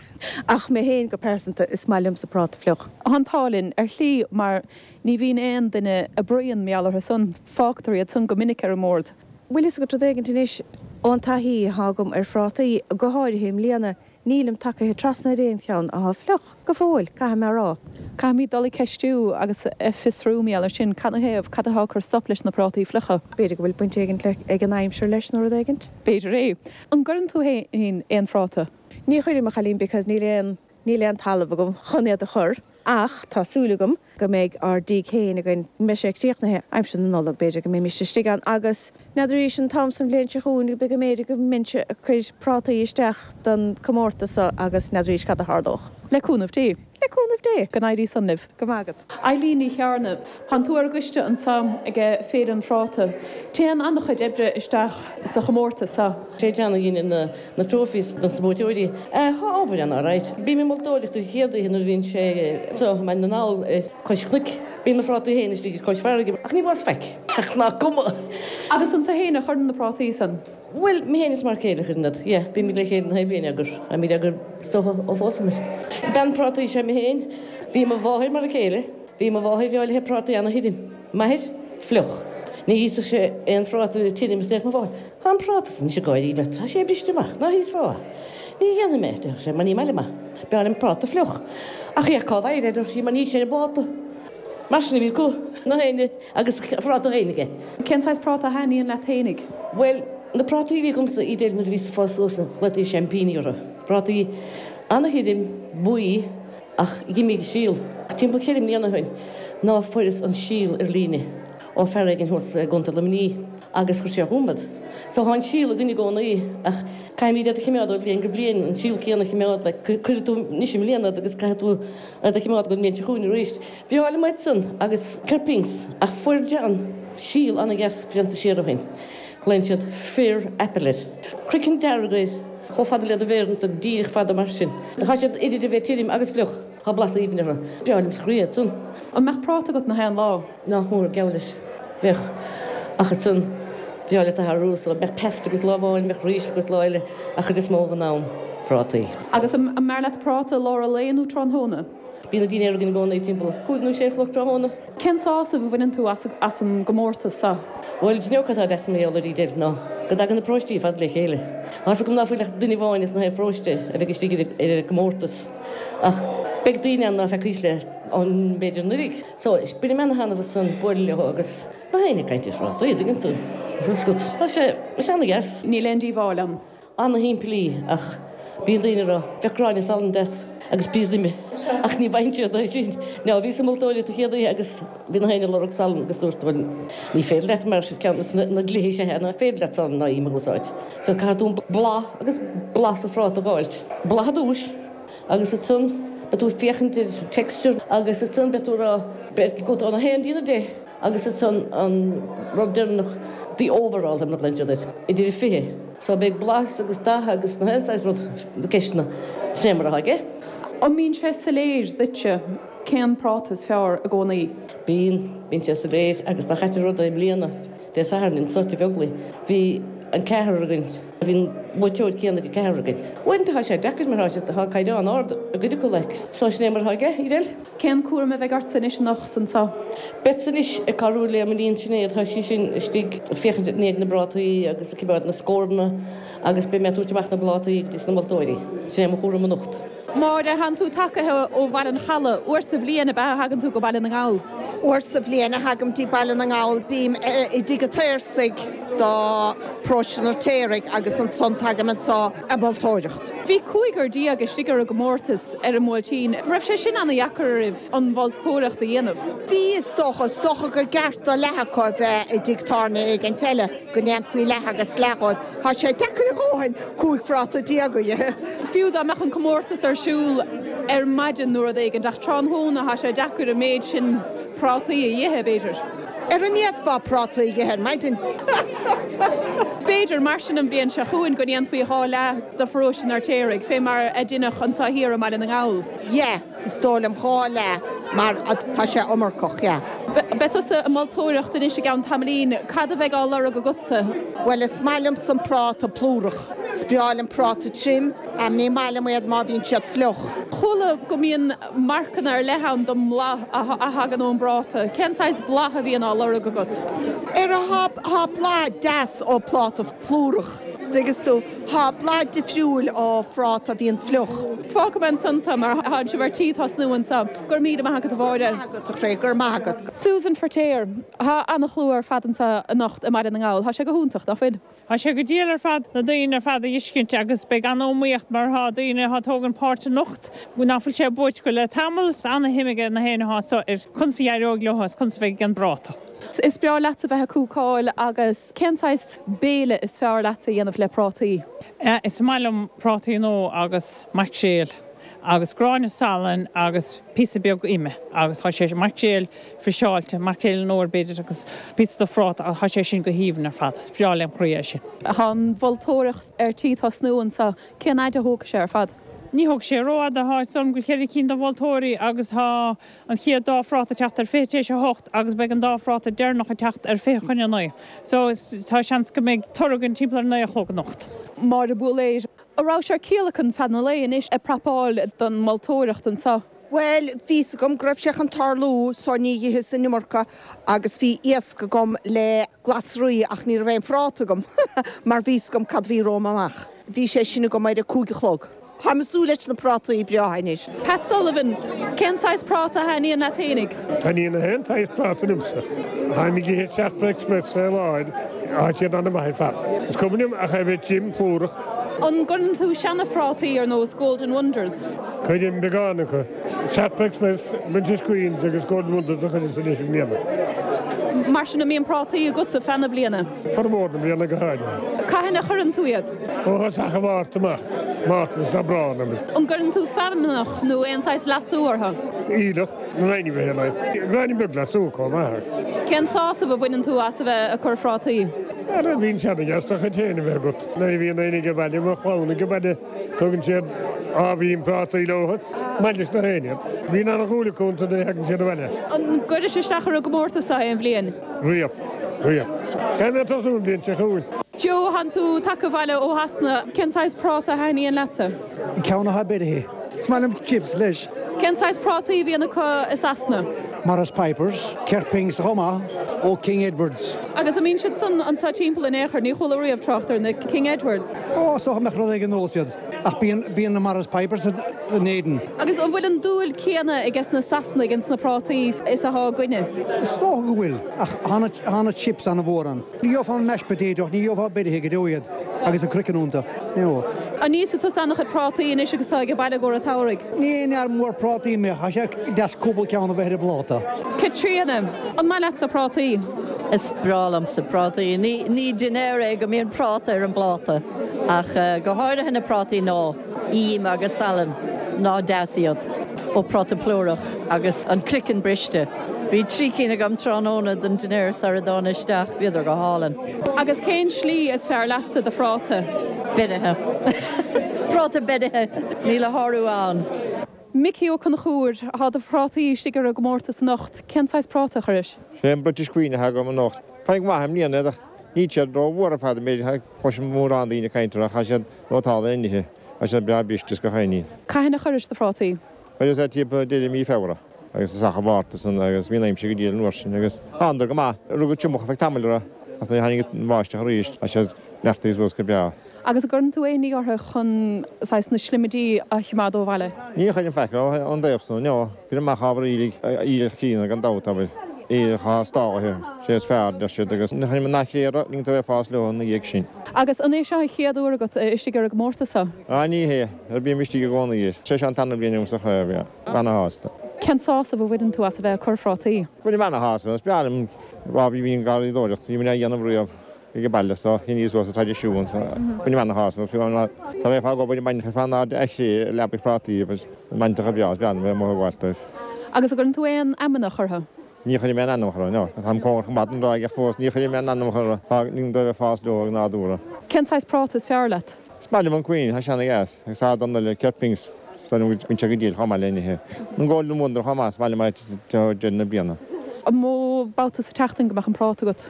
Ach mé féin go pearsanta, is maith liomsa práta fliuch. Tá an t-ádh linn, ar shlí, mar ní bhíonn aon duine ag bruíon mar gheall orthu san. Fágtar iad san go minic ar an mbord. Bhfuil fhios agat rud éigint anois, ón taithí athá agam ar phrátaí, go háirithe i mbliana, nílim tagaithe trasna ar aon cheann athá fliuch. Go fóill, caithfidh mé a rá. Caithfimid dul ag ceistiú agus ag fiosrú mar gheall ar sin. Canathaobh? Cad atá ag cur stop leis na prátaí fliucha? B'fhéidir go bhfuil baint éigint le ag an aimsir leis nó rud éigint? B'fhéidir é. An gcuireann tú fhéin aon phráta? Ní chuirim, a chailín, because níl aon, níl aon talamh agam chun iad a chur, ach tá súil agam go mbeidh ár dtigh féin againn, go mbeidh sé críochnaithe aimsir na Nollag, b'fhéidir go mbeimis istigh ann agus n'fheadar arís an t-am san bhliain seo chugainn, go mb'fhéidir go mbeinnse ag cur prátaí isteach don comórtas so agus n'fheadar arís cad a tharlódh. Le cúnamh Dé. Le cúnamh Dé. Go n-éirí san libh. Go maith agat. Eileen Ní Chearna, Tánn tú ar an gcoiste anso ag Féile an Phráta. Téann an-chuid oibre isteach sa chomórtas so. Sé John a dheineann na trophies dos na buaiteoirí. Tá obair ann alright. Bím ag moltóireacht an chéad oíche nuair a bhíonn sé anso i mBaile na nGall ar cois cnoic. Bíonn na phrátaí féin istigh ar cois farraige ach ní bhfuarthas faic. Ach nach cuma. Agus an tú féin a chuireann na prátaí san? Bhuel, mé féin is m'fhear céile a chuireann iad, yeah, bímid le chéile na haon bhliain á gcur, táimid á gcur is dócha ó phósamar. Bean prátaí is ea mé féin. Bhí mo mháthair mar a chéile. Bhí mo mháthair bhreá léithe prátaí ana-thirim. M'athair, fliuch. Ní íosfadh sé aon phráta tirim is déarfadh mo mháthair, Tá an práta san anois ag gáirí leat, tá sé briste amach, ná híosfá é. Ní dhéanfaidh mé, déarfadh sé, mar ní maith liom é. B'fhearr liom práta fliuch. Ach féach cá bhfaighir é, a déarfadh sí, mar níl sé ar an bpláta. Mar sin a bhí acu, na héinne agus a phráta féin aige. Cén saghas práta a thaitníonn leat fhéinig? Bhuel, na prátaí a bhí agamsa Edel nuair a bhíos ag fás suas, ghlaotaí seaimpíní orthu. Prátaí ana-thirim, buí, ach d'imigh a síol. Timpeall cheithre mbliana ó shin ná fuaireas an síol ar líne ó fear éigin thuas i gContae Luimnigh agus chuir sé chugam iad. So thá an síol againn i gcónaí ach caithfimid iad a chimeád ó bhliain go bliain, an síol céanna a chimeád, like cuirfidh tú anois i mbliana iad agus caithfidh tú iad a chimeád don mbliain seo chugainn arís. Bhreá liom iad san agus Kerpinks ach fuair John síol ana-dheas blianta siar ó shin. Glaonn siad Fir Apple air. Craiceann dearg air, chomh fada le do mhéar ansan, díreach fada mar sin. Tá siad idir a bheith tirim agus fliuch. Tá blas aoibhinn orthu. Breá liom sa chroí iad san. An mbeadh práta agat na haon lá? Nach mór, geall leis. Bheadh. Ach ansan, breá leat a athrú, so bheadh pesto agat lá amháin, bheadh rís agat lá eile, ach chuid is mó den am, prátaí. Agus an mb'fhearr leat práta i lár an lae nó tráthnóna? Bíonn an dinnéar againn i gcónaí timpeall cúig nó sé a chlog tráthnóna. Cén sásamh a bhaineann tú as an gcomórtas seo? Bhuel, d'you know cad atá deas mar gheall air Edel ná go dtagann na paróistí ar fad le chéile. Tá's agam ná fuil ach duine amháin as na haon pharóiste a bheidh istigh ar an gcomórtas ach beidh daoine ann ná feacaís le an b'fhéidir anuraidh. So, bainim ana-thaitneamh as san bualadh leo agus na héinne ag caint ar phrátaí, an dtuigeann tú. Tá sé ana-dheas. Níl aon díobháil ann. Ana-shimplí ach bíonn daoine ag rá, bheadh gráinne salainn deas agus píosa ime ach ní bhfaigheann siad é sin. Now bhíos ag moltóireacht an chéad oíche agus bhí na héinne ag lorg salann agus dúirt bhuel ní féidir leat mar ceann de na dlíthe is ea nach féidir leat salann ná im a úsáid. So caithfidh tú an blas agus blas an phráta a dh'fháilt. Blas ar dtúis agus ansan beidh tú ag féachaint ar texture agus ansan beidh tú ag rá beidh go ón 1 dtí an 10. Agus ansan an rud deireanach, the overall, mar a ghlaonn siad air, idir 20. So beidh blas agus dath agus na haon saghas rud, na ceisteanna, sin é mar atá aige. An mbíonn sé soiléir duitse cén práta is fearr i gcónaí? Bíonn, bíonn sé soiléir agus dá chaite rud é i mbliana, Dé Sathairn anso i Beaglaoich, bhí an ceathrar againn, bhí an buaiteoir céanna ag an ceathrar againn. Uaireanta tá sé deacair mar tá sé, tá caighdeán ard i gcuid acu like. So sin é mar atá aige, Edel. Cén cúram a bheidh ortsa anois anocht anseo? Beadsa anois ag cabhrú le m'iníon Sinéad, tá sí sin istigh ag féachaint i ndiaidh na bprátaí agus ag coimeád na scóranna agus beidh mé ag tabhairt amach na bplátaí dos na moltóirí. Sin é mo chúram anocht. Máire, Thánn tú tagaithe ó Bhaile an Chalaidh. Uair sa bhliain ab ea a thagann tú go Baile na nGall? Uair sa bhliain a thagaim dtí Baile na nGall. Bím i dTigh an tSaorsaigh do Paróiste an Fheirtéaraigh agus ansan tagaim anso ag moltóireacht. Bhí 15 istigh ar an gcomórtas ar an mBuailtín. An raibh sé sin ana-dheacair oraibh an mholtóireacht a dhéanamh? Bhí, is dócha. Is dócha gur gceart do leath acu a bheith i dtigh tábhairne éigint eile, go ndéanfaí leath agus leath dhóibh. Tá sé deacair a dhóthain 15 phráta a ithe. Fiú dá mbeadh an comórtas ar siúl ar maidin nó rud éigin, ach tráthnóna tá sé deacair an méid sin prátaí a ithe, b'fhéidir. Ar an bhféadfá prátaí a ithe ar maidin? B'fhéidir, mar sin, an bhliain seo chugainn go ndéanfaí 2 leath de pharóiste an Fheirtéaraigh, fé mar a deineadh anso thiar i mBaile na nGall. Yeah, is dóigh liom 2 leath mar tá sé iomarcach, yeah. Beidh tusa ag moltóireacht anois i gceann tamaillín. Cad a bheidh á lorg agatsa? Bhuel, is maith liomsa an práta plúrach. Is breá liom práta tirim. Ní maith liom iad má bhíonn siad fliuch. Chuala go mbíonn marcanna ar leith ann don mblath a thagann ón bpráta. Cén saghas blath a bhíonn á lorg agat? Ar thá blas deas ó phláta plúrach, dtuigeann tú. Thá blas difriúil ó phráta a bhíonn fliuch. Fágfaidh mé ansan tú mar thánn sibh ar tí tosnú anso. Go raibh míle maith agat a Mháire. Maith agat a chroí, go raibh maith agat. Susan Feirtéar, Thá ana-shlua ar fad anso anocht i mBaile na nGall. Thá sé go hiontach, nach bhfuil? Tá sé go diail ar fad na daoine ar fad a fheiscint agus beidh an-iomaíocht mar thá daoine athá tógaint páirt anocht ná fuil sé buaite acu le tamall. Is ana-shuim aige na héinne athá anso ar conas a dh'éireoidh leo agus conas a bheidh ag an bpráta. Is breá leatsa bheith ag cúcáil agus cén saghas béile is fearr leatsa a dhéanamh le prátaí? Is maith liom prátaí nó agus maicréal agus gráinne salainn agus píosa beag ime agus thá sé maicréal friseáilte, maicréal an fhómhair b'fhéidir agus píosa de phráta ach tá sé sin go haoibhinn ar fad. Is breá lem chroí é sin. Tá an mholtóireacht ar tí tosnú anso. Cén fhaid a thógfaidh sé ar fad? Ní thógfaidh sé rófhada, tá 'fhios agam go bhfuil cheithre cinn de mholtóirí agus tá an chéad dá phráta ag teacht ar 20 tar éis 8 agus beidh an dá phráta deireanach ag teacht ar 20 chun a 9. So tá seans go mbeidh toradh againn timpeall ar 9 a chlog anocht. Máire Búiléir, An raibh sé ar ciallacan feadh an lae anois ag prapáil don mholtóireacht anseo? Bhuel, bhí 'fhios agam go raibh sé chun tarlú so ní dh'itheas an iomarca agus bhí iasc agam le glasraí ach ní raibh aon phráta agam mar bhí 'fhios agam cad a bhí romham amach. Bhí sé sin agam ar a cúig a chlog. Táim ag súil leis na prátaí breátha anois. Pat Sullivan, Cén saghas práta a thaitníonn leat fhéinig? Taitníonn achan saghas práta liomsa. Táim ag ithe Sharp Express fé láthair, tá siad an-mhaith ar fad. Is cuma liom ach é bheith tirim plúrach. An gcuireann tú seana-phrátaí ar nós Golden Wonders? Cuirim beagán acu. Sharp Express, British Queens agus Golden Wonders a chuireas anois i mbliana. Mar sin an mbíonn prátaí agatsa feadh na bliana? Formhór na bliana go háirithe. Cathain a chuireann tú iad? Ó thosach an Mhárta amach, Márta is Aibreán amuigh. An gcuireann tú feamnach nó aon saghas leasú orthu? Aoileach na n-ainmhithe le gráinnín beag leasú chomh maith. Cén sásamh a bhaineann tú as a bheith ag cur phrátaí? Ara bíonn sé ana-dheas do chuid féin a bheith agat. Nuair a bhíonn éinne age baile, mo chlann age baile, tugann siad ábhairín prátaí leo. Is maith leis na héinne iad. Bíonn ana-dhúil acu iontu nuair a thagann siad abhaile. An gcuiris isteach ar an gcomórtas seo aon bhliain? Riamh. Riamh. Caithfidh mé tosú an bhliain seo chugainn. Joe, Thánn tú tagtha abhaile ó Shasana. Cén saghas práta a thaitníonn leatsa? An ceann atá beirithe. Is maith liom chips leis. Cén saghas prátaí a bhíonn acu i Sasana? Maris Pipers, Kirkings chomh maith, ó King Edwards. Agus an mbíonn siad san anseo timpeall in aon chor? Ní chuala riamh trácht ar na King Edwards. Ó, is dócha go mbeadh rud éigin nós iad. Ach bíonn, bíonn na Maris Pipers in Éirinn. Agus an bhfuil an dúil céanna aige sna Sasanaigh ins na prátaí is athá againne? Is dócha go bhfuil, ach thá na chips ana-mhór ann. Ní gheofá an mashed potato ach ní gheofá beirithe go deo iad agus an craiceann iontu. No. An íosfaidh tusa an-chuid prátaí anois agus tú ag baile i gcomhair an tsamhraidh? Ní aon fhear mór prátaí mé ach tá sé deas cúpla ceann a bheith ar an bpláta. Caitríona, an maith leatsa prátaí? Is breá liomsa prátaí. Ní ní dinnéar é go mbíonn práta ar an bpláta ach go háirithe na prátaí nua, im agus salann, ná deas iad. Ó práta plúrach agus an craiceann briste. Bhí 3 cinn agam tráthnóna don dinnéar sara dtána isteach, bhíodar go hálainn. Agus cén slí is fearr leatsa do phráta? Beirithe. Práta beirithe, níl a shárú ann. Micí Ó Conchúir, Tá do phrátaí istigh ar an gcomórtas anocht. Cén saghas práta a chuiris? Sé an British Queen atá agam anocht. Tá go maith i mbliana iad ach níl siad ró-mhór ar fad, b'fhéidir. Cloisim mórán daoine ag caint orthu ach tá siad nótálta inithe. Tá siad breá briste is gach aon ní. Cathain a chuiris do phrátaí? Chuireas iad timpeall deireadh mí Feabhra agus tosach an Mhárta san agus bhí an aimsir go diail an uair sin agus thánadar go maith. Rugadh triomach ar feadh tamaill orthu ach nuair a tháinig an bháisteach arís tá siad neartaithe suas go breá. Agus an gcuireann tú aon ní orthu chun saghas na slimidí a choimeád ó bhaile? Ní chuirim faic orthu ón dtaobh san, no. Cuirim amach ábhar aoiligh, aoileach críonna gan dabht, abair, aoileach atá stálaithe, sé is fearr, deir siad, agus ní chuirim an fhaiche orthu, ligeann tú é fás leo ina dhiaidh sin. Agus an é seo an chéad uair agat istigh ar an gcomórtas seo? Á, ní hé, ar bím istigh i gcónaí air. Sé seo an tarna bliain agam sa chraobh, yeah. Ana-shásta. Cén sásamh a bhaineann tú as a bheith ag cur phrátaí? Bainim ana-shásamh as, is breá liom, á, bhí an garraíodóireacht, bhí mé á dhéanamh riamh. ag an baile so shíneas suas an traidisiún so bainim ana-shásamh as fiú amháin dá mbeifeá ag obair i mbainfeadh fán airde a chré i leabaidh phrátaí agus bainteacha breá is breá liom bheith amuigh ag gabháil dóibh. Agus an gcuireann tú aon fheamnach orthu? Ní chuirim aon fheamnach orthu, no. Táim cóngarach go maith don dráig ach fós ní chuirim aon fheamnach orthu. Tá ligim dóibh ag fás leo ag nádúrtha. Cén saghas práta is fearr leat? Is maith liom an Queen, tá sé ana-dheas, agus tá don eile, Kirkings, is dóigh liom go mbíonn sé go diail chomh maith le nithe. An Golden Wonder chomh maith, is maith liom é deireadh na bliana. An mó babhta sa tseachtain go mbeadh an práta agat?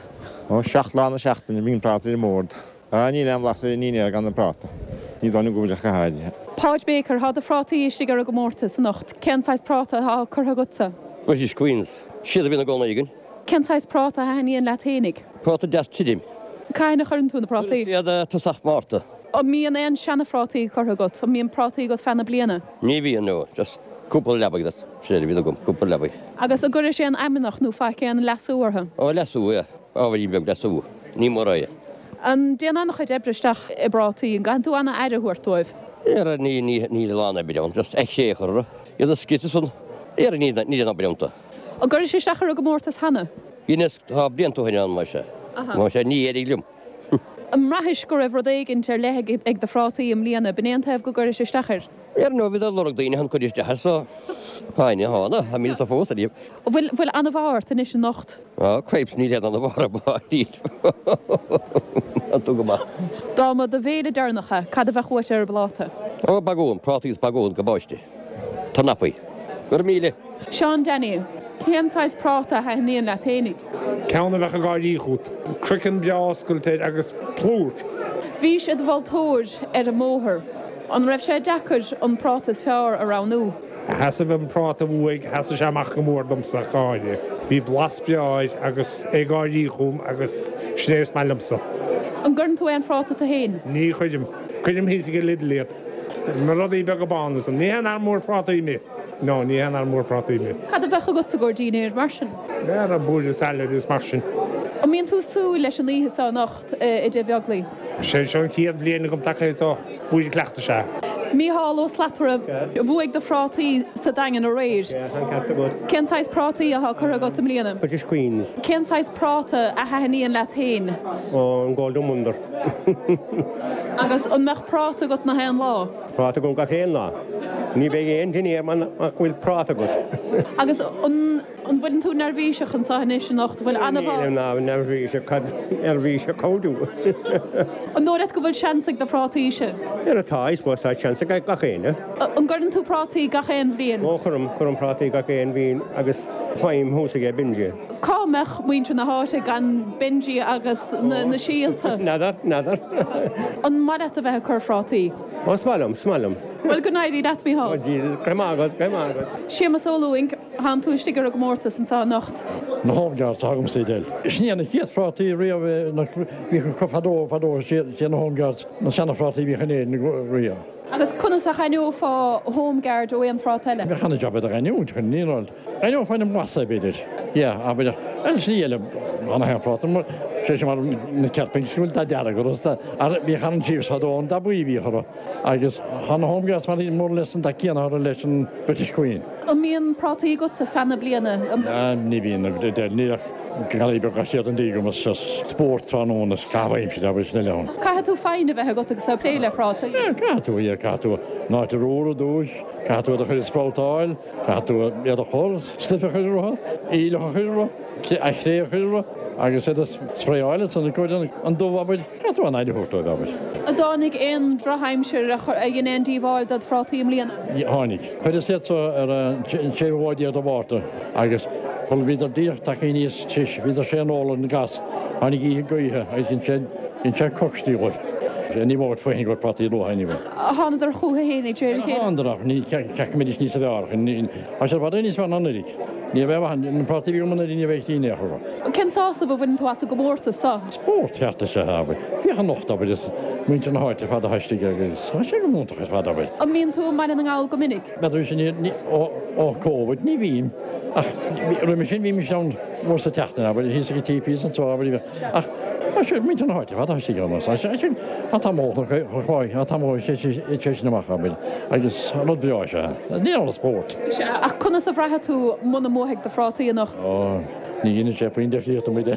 Ó, 7 lá na seachtaine bíonn práta ar an mbord. Á, níl aon bhlas ar an ndinnéar gan an práta. Ní dóigh liom go bhfuil ach go háirithe. Páid Baker, Tá do phrátaí istigh ar an gcomórtas anocht. Cén saghas práta atá curtha agatsa? British Queens. Siad a bhíonn i gcónaí againn. Cén saghas práta a thaitníonn leat fhéinig? Práta deas tirim. Cathain a chuireann tú na prátaí? Chuireas iad tosach Márta. An mbíonn aon seana-phrátaí curtha agat? An mbíonn prátaí agat feadh na bliana? Ní bhíonn, no. Just cúpla leabaidh, that's sin a bhíonn agam, cúpla leabaidh. Agus an gcuiris aon fheamnach nó faic aon leasú orthu? Ó, leasú, yeah. Ábhairín beag leasú. Ní mór é. An dtéann an-chuid oibre isteach i bprátaí? An gcaitheann tú an-aire a thabhairt dóibh? Ara, ní, ní, níl a lán oibre ann. Just cré a chur orthu. Iad a scriosadh san. Ara, níl, níl aon obair iontu. An gcuiris isteach ar an gcomórtas cheana? Dheineas, tá blianta ó shin ann, más ea. Más ea, ní éirigh liom. An mbraithis go raibh rud éigint ar leith ag do phrátaí i mbliana? B'in é an taobh go gcuiris isteach air? Ar ndóigh, bhíodar ag lorg daoine chun cur isteach air so tháinig, thána, tá mé sa fós ariamh. Bhfuil, bhfuil an-mhaith ort anois anocht? Á, cripes, níl aon an-mhaith orm, níl. Tá tú go maith. Dá mba do bhéile deireanach é, cad a bheadh uait ar an bpláta? Ó, bagún, prátaí is bagún go báiste. Tornapaí. Go raibh míle. Seán Danny, Cén saghas práta a thaitníonn leat fhéinig? Ceann a bheadh ag gáirí chút. Craiceann breá oscailte air agus plúr. Bhís i do mholtóir ar an mbóthar. An raibh sé deacair an práta is fearr a roghnú? Sheasaimh an práta a bhuaigh, sheasaigh sé amach go mór domsa, go háirithe. Bhí blas breá air agus é ag gáirí chugam agus sin é is maith liomsa. An gcuireann tú aon phráta tú féin? Ní chuirim. Cuirim thíos ag Lidl iad. Na rudaí beaga bána san. Ní haon fhear mór prátaí mé. No, ní haon fhear mór prátaí mé. Cad a bheadh agat sa gcomhair dinnéir, mar sin? Ara, buaile salad is mar sin. An mbíonn tú ag súil leis an oíche seo anocht i dTigh Bheaglaoí? Sé seo an chéad bhliain agam tagtha so buaile cleachtais é. Mícheál Ó Slatara, bhuaigh do phrátaí sa Daingean aréir. Cén saghas prátaí atá curtha agat i mbliana? British Queens. Cén saghas práta a thaitníonn leat féin? Ó, an Golden Wonder. Agus an mbeadh práta agat nach aon lá? Práta agam gach aon lá. Ní bheidh aon dinnéar muna bhfuil práta agat. Agus an bhfuileann tú neirbhíseach anseo anois anocht? An bhfuil ana-. Nílim ná neirbhíseach, cad neirbhíseach how do? An dóigh leat go bhfuil seans ag do phrátaíse? Ara tá, I suppose tá seans ag gach éinne. An gcuireann tú prátaí gach aon bhliain? Ó cuirim, cuirim prátaí gach aon bhliain agus faighim thuas aige Benji. Cá mbeadh muintir na háite gan Benji agus na síolta? N'fheadar, n'fheadar. An maith leat a bheith ag cur phrátaí? Ó, is maith liom, is maith liom. Bhuel, go n-éirí leat, Mícheál. Ó, Jesus, go raibh maith agat, go raibh maith agat. Séamus Ó Lúing, thánn tú istigh ar an gcomórtas anseo anocht. Na Home Guards atá agamsa Edel. Sin iad na chéad phrátaí riamh a bhíodh acu fadó, fadó, siad na Home Guards na seana-phrátaí a bhíodh in Éirinn riamh. Agus conas a dh'aithneofá Home Guard ó aon phráta eile? Bheadh an-jab iad a dh'aithniúint, chun ní raibh. Aithneofá ina mblas é, b'fhéidir. Yeah, abair, ar shlí eile, tá na haon phráta, mar, sé sin mar na Kerpings, go bhfuil dath dearg orthu, is dath, ar, bhíodh Arran Chiefs fadó ann, dath buí a bhíodh orthu. Agus tá na Home Guards mar, more or less an dath céanna orthu leis an British Queen. An mbíonn prátaí agatsa feadh na bliana? Ní bhíonn, níl ach garraí beag siar an díog agam is spórt tráthnóna is caitheamh aimsire abair sin eile ann. Caithfidh tú foighne a bheith agat agus tú ag plé le prátaí. Yeah, caithfidh tú, yeah, caithfidh tú an áit a romhar ar dtúis, caithfidh tú iad a chur ag sproutáil, caithfidh tú iad a chur, stuif a chur orthu, aoileach a chur orthu, cré a chur orthu agus iad a spraeáil ansan i gcomhair an dubh abair, caithfidh tú an aire a thabhairt dóibh abair. An dtáinig aon drochaimsir a dhein aon díobháil dod phrátaí i mbliana? Tháinig. Chuireas iad so ar an séú lá déag de Mhárta agus sula bhíodar díreach tagtha aníos tis, bhíodar sé an ól ar an gas, tháinig oíche gaoithe agus dhein sé, dhein sé coicstí dhóibh. Ní mór faoin go raibh prátaí luath anyway. Thánadar chucu fhéin ag deireadh a chéile. Thánadar ach ní cheapfainn go mbeidís níos fearr. Tá siad i bhfad níos fearr ná anuraidh. Ní bheidh mhaith, na prátaí a bhí agam anuraidh ní bheidh in aon chor. Cén sásamh a bhaineann tú as an gcomórtas seo? Spórt ceart is ea é, abair. Féach anocht, abair, is muintir na háite ar fad atá istigh agus tá sé go hiontach ar fad, abair. An mbíonn tú i mBaile na nGall go minic? B'fhéidir sin ní, ó, ó Covid, ní bhím. Ach roimhe sin bhímis ann uair sa tseachtain, abair, thíos ag an TPs anseo, abair, ach tá sé, muintir na háite ar fad atá istigh ann, tá sé, sin, tá tamall chun, chun, chun, tá tamall sé, sé, sé sin amach, abair, agus rud breá is ea é. Ní raibh spórt. Sea, ach conas a bhraithfidh tú muna mbuafaidh do phrátaí anocht? Ó, ní dhéanann sé puinn difríochta muide.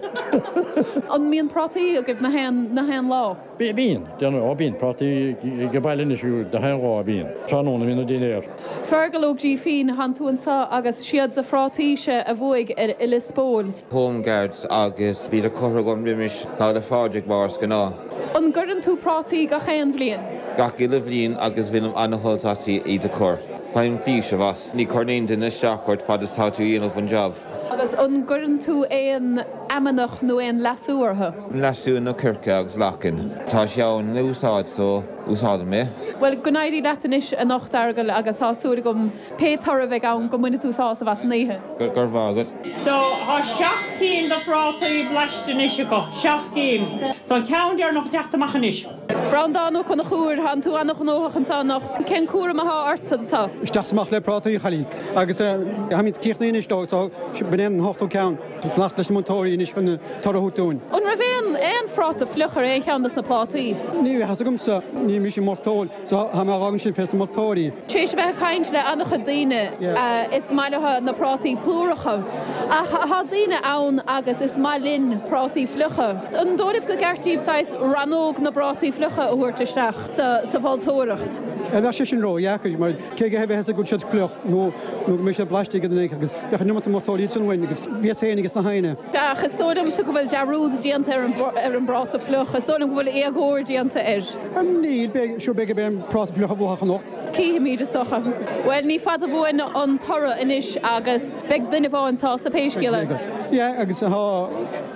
An mbíonn prátaí agaibh nach aon, nach aon lá? Bíonn, déanann, ó bíonn prátaí ag baile anois nach aon lá, bíonn. Tráthnóna bhíonn an dinnéar. Fergal Ó Grífín, thánn tú anseo agus siad do phrátaíse a bhuaigh ar i Lios Póil. Home Guards agus bhíodar curtha agam roimis Lá 'le Phádraig mar is gnáth. An gcuireann tú prátaí gach aon bhliain? Gach uile bhliain agus bhainim ana-shult as iad a chur. Faighim faoiseamh as. Ní chuireann aon duine isteach ort fad is tá tú a dhéanamh an job. Agus an gcuireann tú aon fheamnach nó aon leasú orthu? Leasú nó coirce agus lachain. Tá sé ann le úsáid so úsáidim é. Bhuel, go n-éirí leat anois anocht, a Fheargail, agus tá súil agam pé toradh a bheidh ann go mbainfidh tú sásamh as an oíche. Go raibh maith agat. So, tá seacht gcinn de phrátaí blaiste anois acu, seacht gcinn. So, an ceann deireanach ag teacht amach anois. Breandán Ó Conchúir, Thánn tú ana-ghnóthach anseo anocht. Cén cúram athá ortsa anseo? Isteach is amach le prátaí, a chailín. Agus táimid críochnaithe anois leo, so b'in é an t-ochtú ceann. Fanacht leis na moltóirí anois chun toradh a thabhairt dúinn. An raibh aon aon phráta fliuch ar aon cheann dos na plátaí? Ní bheadh fhios agamsa, ní mise an moltóir, so tá mé á fhágaint sin fés na moltóirí. Tar éis a bheith ag caint le an-chuid daoine, is maith leo na prátaí plúracha. Ach tá daoine ann agus is maith linn prátaí fliucha. An dóigh libh go gceart díobh saghas rannóg na bprátaí fliucha? fliucha a thabhairt isteach sa mholtóireacht. Bheadh sé sin ródheacair mar cé go bheadh a fhios go bhfuil siad fliuch nó nó go mbeidh siad blaiste ag an agus bheadh an iomarca moltóirí ansin uainn agus bhíos féin agus na héinne. Ach is dóigh liomsa go bhfuil dearúd déanta ar an bpráta fliuch. Is dóigh liom go bhfuil éagóir déanta air. Níl, beidh, sure beidh an práta fliuch a bhuafadh anocht. Cífimid, is dócha. Bhuel, ní fada uainn an toradh anois agus beidh duine amháin sásta pé scéal é. Yeah, agus tá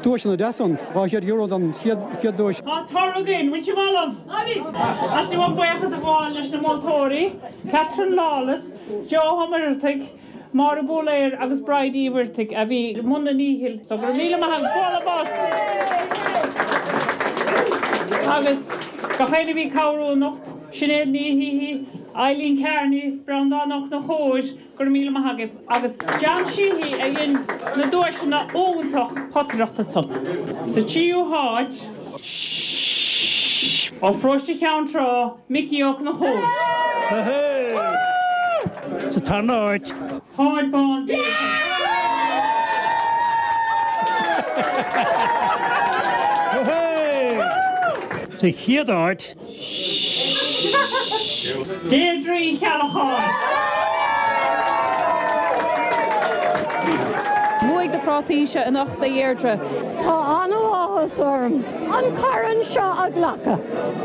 duaiseanna deasa ann, €200 don chéad duais. Tá toradh againn, bhfuil sibh ullamh? Theastaigh uaim buíochas a ghabháil leis na moltóirí, Catherine Lawless, Joe Ó Muircheartaigh, Máire Búiléir agus Bridie Uí Mhuirthigh a bhí i mbun a ndíchill so go raibh míle maith agat, bualadh bos! Agus gach éinne a bhí ag cabhrú anocht, Sinéad Ní hÍthí, Eileen Kearney, Breandán Ó Conchúir, go raibh míle maith agaibh agus John Sheehy a dhein na duaiseanna iontach potaireachta ansan. Sa tríú háit, ó Pharóiste Cheann Trá, Micí Ó Conchúir. Sa tarna háit. Páid Bán Baker. Sa chéad áit. Deirdre Uí Cheallacháin. Bhuaigh do phrátaíse anocht, a Dheirdre. Tá an-áthas orm an corn seo a ghlacadh.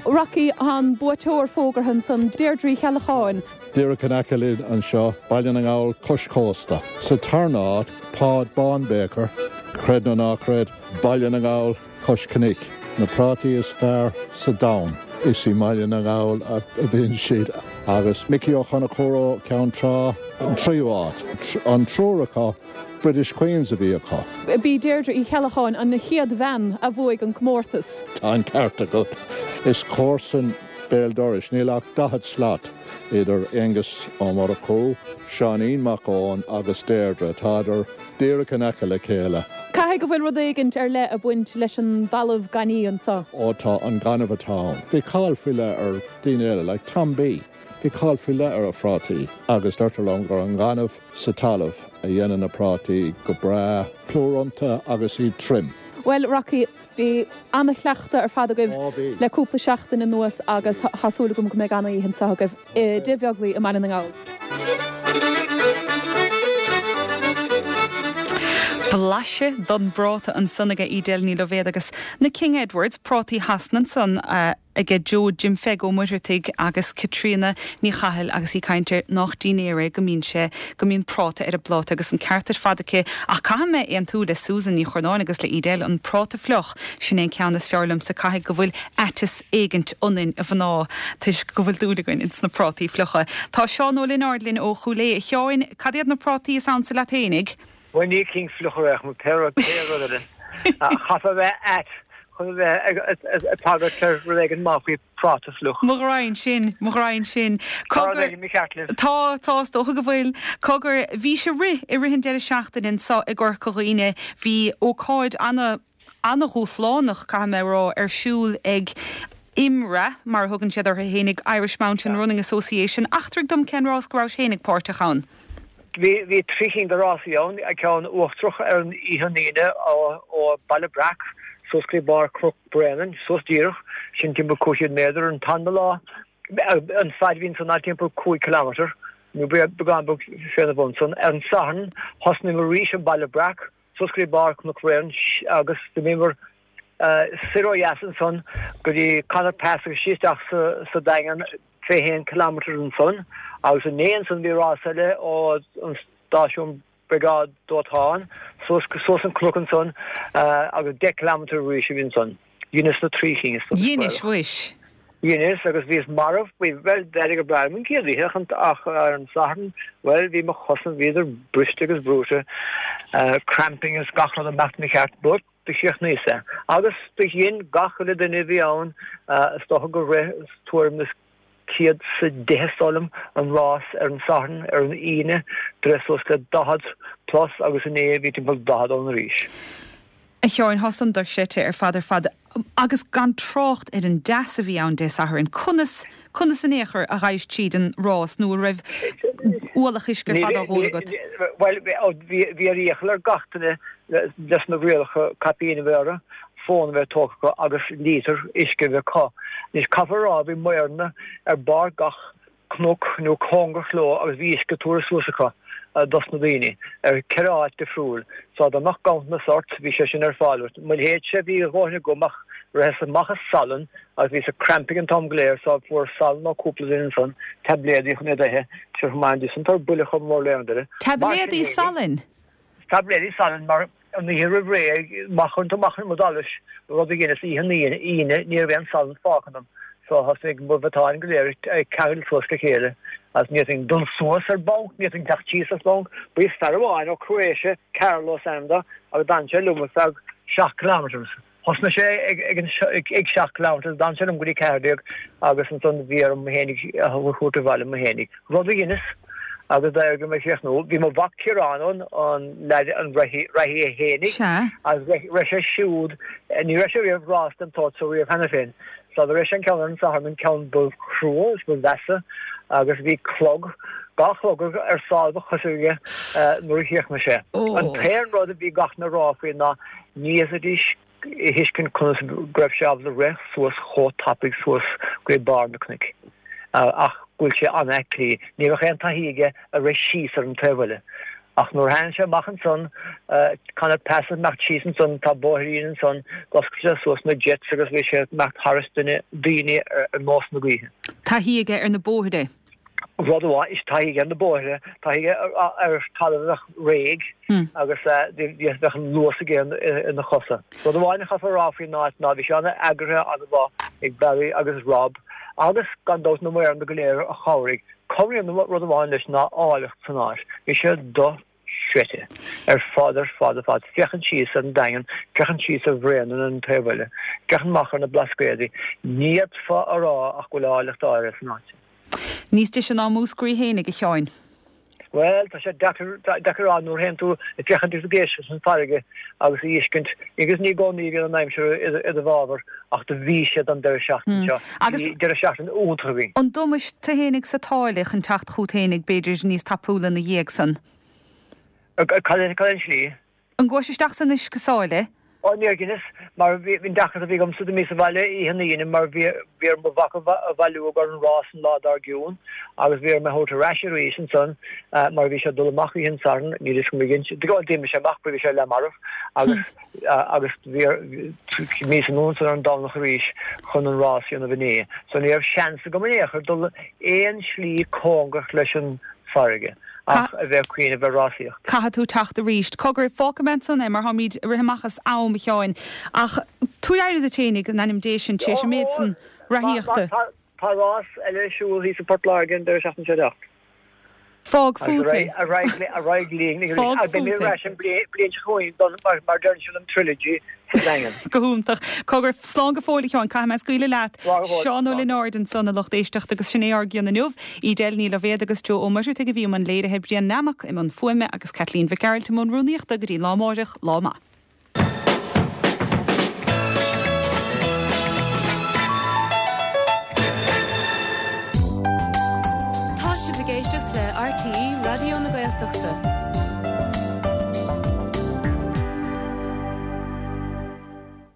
Rocky, an buaiteoir fógartha ansan, Deirdre Uí Cheallacháin. Díreach in aice linn anseo, Baile na nGall, cois cósta. Sa tarna háit, Páid Bán Baker, creid nó ná creid, Baile na nGall, cois cnoic. Na prátaí is fearr sa domhan, is i mBaile na nGall a bhíonn siad. Agus Micí Ó Conchúir ó Cheann Trá, an tríú háit. An triúr acu, British Queens a bhí acu. B'í Deirdre Uí Cheallacháin an chéad bhean a bhuaigh an comórtas. Tá an ceart agat. Is comharsan béal dorais, níl ach 40 slat idir Aengus Ó Murchú, Seáinín Mac Eoin agus Deirdre. Tádar díreach in aice le chéile. Caithfidh go bhfuil rud éigint ar leith ag baint leis an dtalamh gainimh anseo. Ó tá, an gaineamh atá ann. Bhí cáil faoi leith ar daoine eile, like Tom B. Bhí cáil faoi leith ar a phrátaí agus deirtear liom gur an gaineamh sa talamh a dhéanann na prátaí go breá plúr iontu agus iad tirim. Bhuel, Rocky, bhí ana-chleachtadh ar fad agaibh le cúpla seachtain anuas agus tá súil agam go mbeidh ana-oíche anseo agaibh i dTigh Bheaglaoí i mBaile na nGall. Blaiseadh don bpráta ansan aige Edel Ní Loibhéad agus na King Edwards, prátaí Shasana ansan, aige Joe Jim Pheig Ó Muircheartaigh agus Caitríona Ní Chathail agus í ag caint ar nách dinnéar é go mbíonn sé, go mbíonn práta ar an bpláta agus an ceart ar fad aici ach caithfidh mé aontú le Susan Ní Churnáin agus le Edel, an práta fliuch, sin é an ceann is fearr liomsa, caithfidh go bhfuil aiteas éigint ionainn a mhná toisc go bhfuil dúil againn ins na prátaí fliucha. Tá Seán Ó Lionáird linn ó Chúil Aodha. A Sheáin, cad iad na prátaí is ansa leat fhéinig? Bhuel ní cinn fliucha ar aon pé rud eile. Chaithfeá a bheith ait chun a bheith ag tagairt ar rud éigin maith faoi phráta fliuch. Mo ghraidhin sin, mo ghraidhin sin. Tá rud éigin mícheart libh. Tá, tá, is dócha go bhfuil. Cogar, bhí sé rith i rith an deireadh seachtaine anso i gCorca Dhuibhne. Bhí ócáid ana, ana-dhúshlánach, caithfidh mé a rá, ar siúl ag IMRA, mar a thugann siad orthu fhéinig, Irish Mountain Running Association. Eachtraigh dom cén rás go rabhais fhéinig páirteach ann. Bhí 3 chinn de rásaí ann, ceann uachtarach ar an oíche an Aoine ó Baile Breac suas go dtí barr Chnoc Bréanainn, suas díreach, sin timpeall 500 méadar. An tarna lá, an fad a bhí ansan ná timpeall 5 kilometre, nó beagán beag féna bhun san. Ar an Satharn, thosnaíomar arís i mBaile Breac, suas go dtí barr Chnoc Bréanainn agus d'imíomar soir ó dheas ansan go dtí Conor Pass agus síos isteach sa Daingean, 21 kilometre ansan agus inné ansan bhí rás eile ó an stáisiún briogáid dóiteáin suas suas an cnoc ansan agus 10 kilometre arís a bhí ansan. Dheineas na 3 chinn is Dheinis, mhuis. Dheineas agus bhíos marbh, bhuel d'éirigh go breá liom an chéad oíche ach ar an Satharn, bhuel bhí mo chosa, bhíodar briste agus brúite, cramping is gach rud ag imeacht mícheart but do chríochnaíos é. Agus do dhein gach uile duine a bhí ann, is dócha gur rith tuairim is 110 is dóigh liom, an rás ar an Satharn, ar an Aoine, do rith suas le 40 plus agus inné bhí timpeall 40 ann arís. A Sheáin, thá san dochreidte ar fad ar fad agus gan trácht ar an dteas a bhí ann Dé Sathairn. Conas, conas in aon chor a ghabhais tríd an rás nó an raibh ualach uisce ar fad á dh'ól agat? Bhuel, bhí ar iachall ar gach duine leis na rialacha caipín a bheith orthu. Fón a bheith tógtha acu agus lítear uisce a bheith acu. Anois caithfear a rá bhí maoranna ar barr gach cnoc nó cóngarach leo agus bhí uisce tabhartha suas acu dos na daoine ar cheithre áit difriúil. So dá mbeadh ganntanas ort bhí sé sin ar fáil duit. Mo leithéidse bhí a dhóthain agam ach ritheas amach as salann agus bhíos ag cramping an t-am go léir so fuaireas salann ó cúpla duine ansan, taibléadaí chun iad a ithe, sure chomh maith san tabhair buille chomh mór le aon duine. Mar sin Taibléadaí salainn? Taibléadaí salainn mar an oíche roimh ré, má chuireann tú amach i m'allas, rud a dheineas oíche an Aoine, ní raibh aon salann fágtha ionam so thosaigh mo mhatáin go léir ag ceangal suas le chéile agus ní fhéadfainn dul suas ar bhanc, ní fhéadfainn teacht síos as banc. Bhí fear amháin ó Croatia, Carlo is ainm dó, agus d'fhan sé liom ar feadh 7 kilometres. Thosnaigh sé ag an ag 7 kilometres, d'fhan sé liom go dtí 14 agus ansan bhí orm mé fhéinig a thabhairt abhaile mé fhéinig. Rud a dheineas agus d'éirigh liom é a chríochnú. Bhí mo mhac Ciarán ann, an leaid an reathaí é fhéinig agus rith sé siúd, ní raibh sé riamh rás den tsórt so riamh cheana féin. So do rith sé an ceann ar an Satharn, an ceann ba chrua is ba mheasa agus bhí clog, dhá chlog ar sáil mo choise aige nuair a chríochnaigh sé. An t-aon rud a bhí gach éinne a rá faoi ná Ní fhéadfaidís a thuiscint conas go raibh sé ábalta rith suas chomh tapaidh suas go dtí barr na cnoic ach go bhfuil sé an-aclaí. Ní raibh aon taithí aige a rith síos ar an taobh eile. Ach nuair a tháinig sé amach ansan, Connaught Pass ag imeacht síos ansan, tá bóithrín ansan, d'oscail sé suas na jets agus bhí sé ag imeacht thairis duine, daoine ar nós na gaoithe. Taithí aige ar na bóithre. Rud amháin, is taithí aige ar na bóithre, taithí aige ar talamh a bheadh réidh agus bheadh an luas aige ina chosa. Rud amháin a chaithfear a rá faoin áit ná bhí sé an-eagraithe, an-mhaith ag Barry agus Rob agus gan dabht na maoranna go léir a chabhraigh. Cabhraíonn rud amháin leis ná áilleacht san áit. Bhí sé do. chreidte. Ar fad, ar fad, ar fad. Féachaint síos ar an Daingean, féachaint síos ar Bhréanainn ar an taobh eile, féachaint amach ar na Blascaodaí, ní fhéadfá a rá ach go bhfuil áilleacht áirithe san áit sin. Níos deise ná Múscraí fhéinig, a Sheáin. Bhuel, tá sé deacair, deacair a rá nuair a théann tú ag féachaint agus ag éisteacht leis an bhfarraige agus a fheiscint, agus ní i gcónaí a bhíonn an aimsir i do bhfabhar ach do bhí sé don deireadh seachtaine seo. Agus. Bhí deireadh seachtaine iontach againn. An dtomhais tú fhéinig sa tsáile chun teacht chút fhéinig, b'fhéidir, níos tapúla ina dhiaidh san? Cad é an tslí? An gcuais isteach san uisce sáile? Ó, níor dheineas, mar bhí an deacracht a bhí agamsa d'imíos abhaile oíche an Aoine mar bhí bhí orm mo mhac a bhailiú i gcomhair an rás an lá dár gcionn agus bhí orm é a thabhairt ar ais arís ansan mar bhí sé ag dul amach oíche an tSathairn, níl fhios agam ag inse, d'imigh sé amach bhí sé leath marbh agus agus bhí bhíos anonn ansan ar an Domhnach arís chun an rás a dhéanamh inné. So ní raibh seans agam in aon chor dul aon slí cóngarach leis an farraige ach a bheith ag cuimhneamh ar rásaíocht. Caithfidh tú teacht arís. Cogar, fágfaidh mé ansan é mar táimid ag rith amach as am, a Sheáin. Ach tabhair aire duit fhéinig, in ainm Dé sin, tar éis an méid san reathaíochta. Tá rás eile ar siúl thíos i bPort Láirge an deireadh seachtaine seo ag teacht. Fág fút é. Ar aghaidh linn. Fág fút é. Beidh mé ar ais an bhliain seo chugainn don, mar deireann siad, an trilogy sa Daingean. Go hiontach. Cogar, slán go fóill a Sheáin, caithfidh mé scaoileadh leat. Slán go fóill. Seán Ó Lionáird ansan, a lucht éisteachta agus sin é ár gcion inniu. Edel Ní Loibhéad agus Joe Ó Muircheartaigh a bhí i mbun léirithe, Brian Nammock i mbun fuaime agus Caitlín Mhic Gearailt i mbun rúnaíochta go dtí lá amáireach, lá maith. Tá sibh ag éisteacht le RTÉ Raidió na Gaeltachta.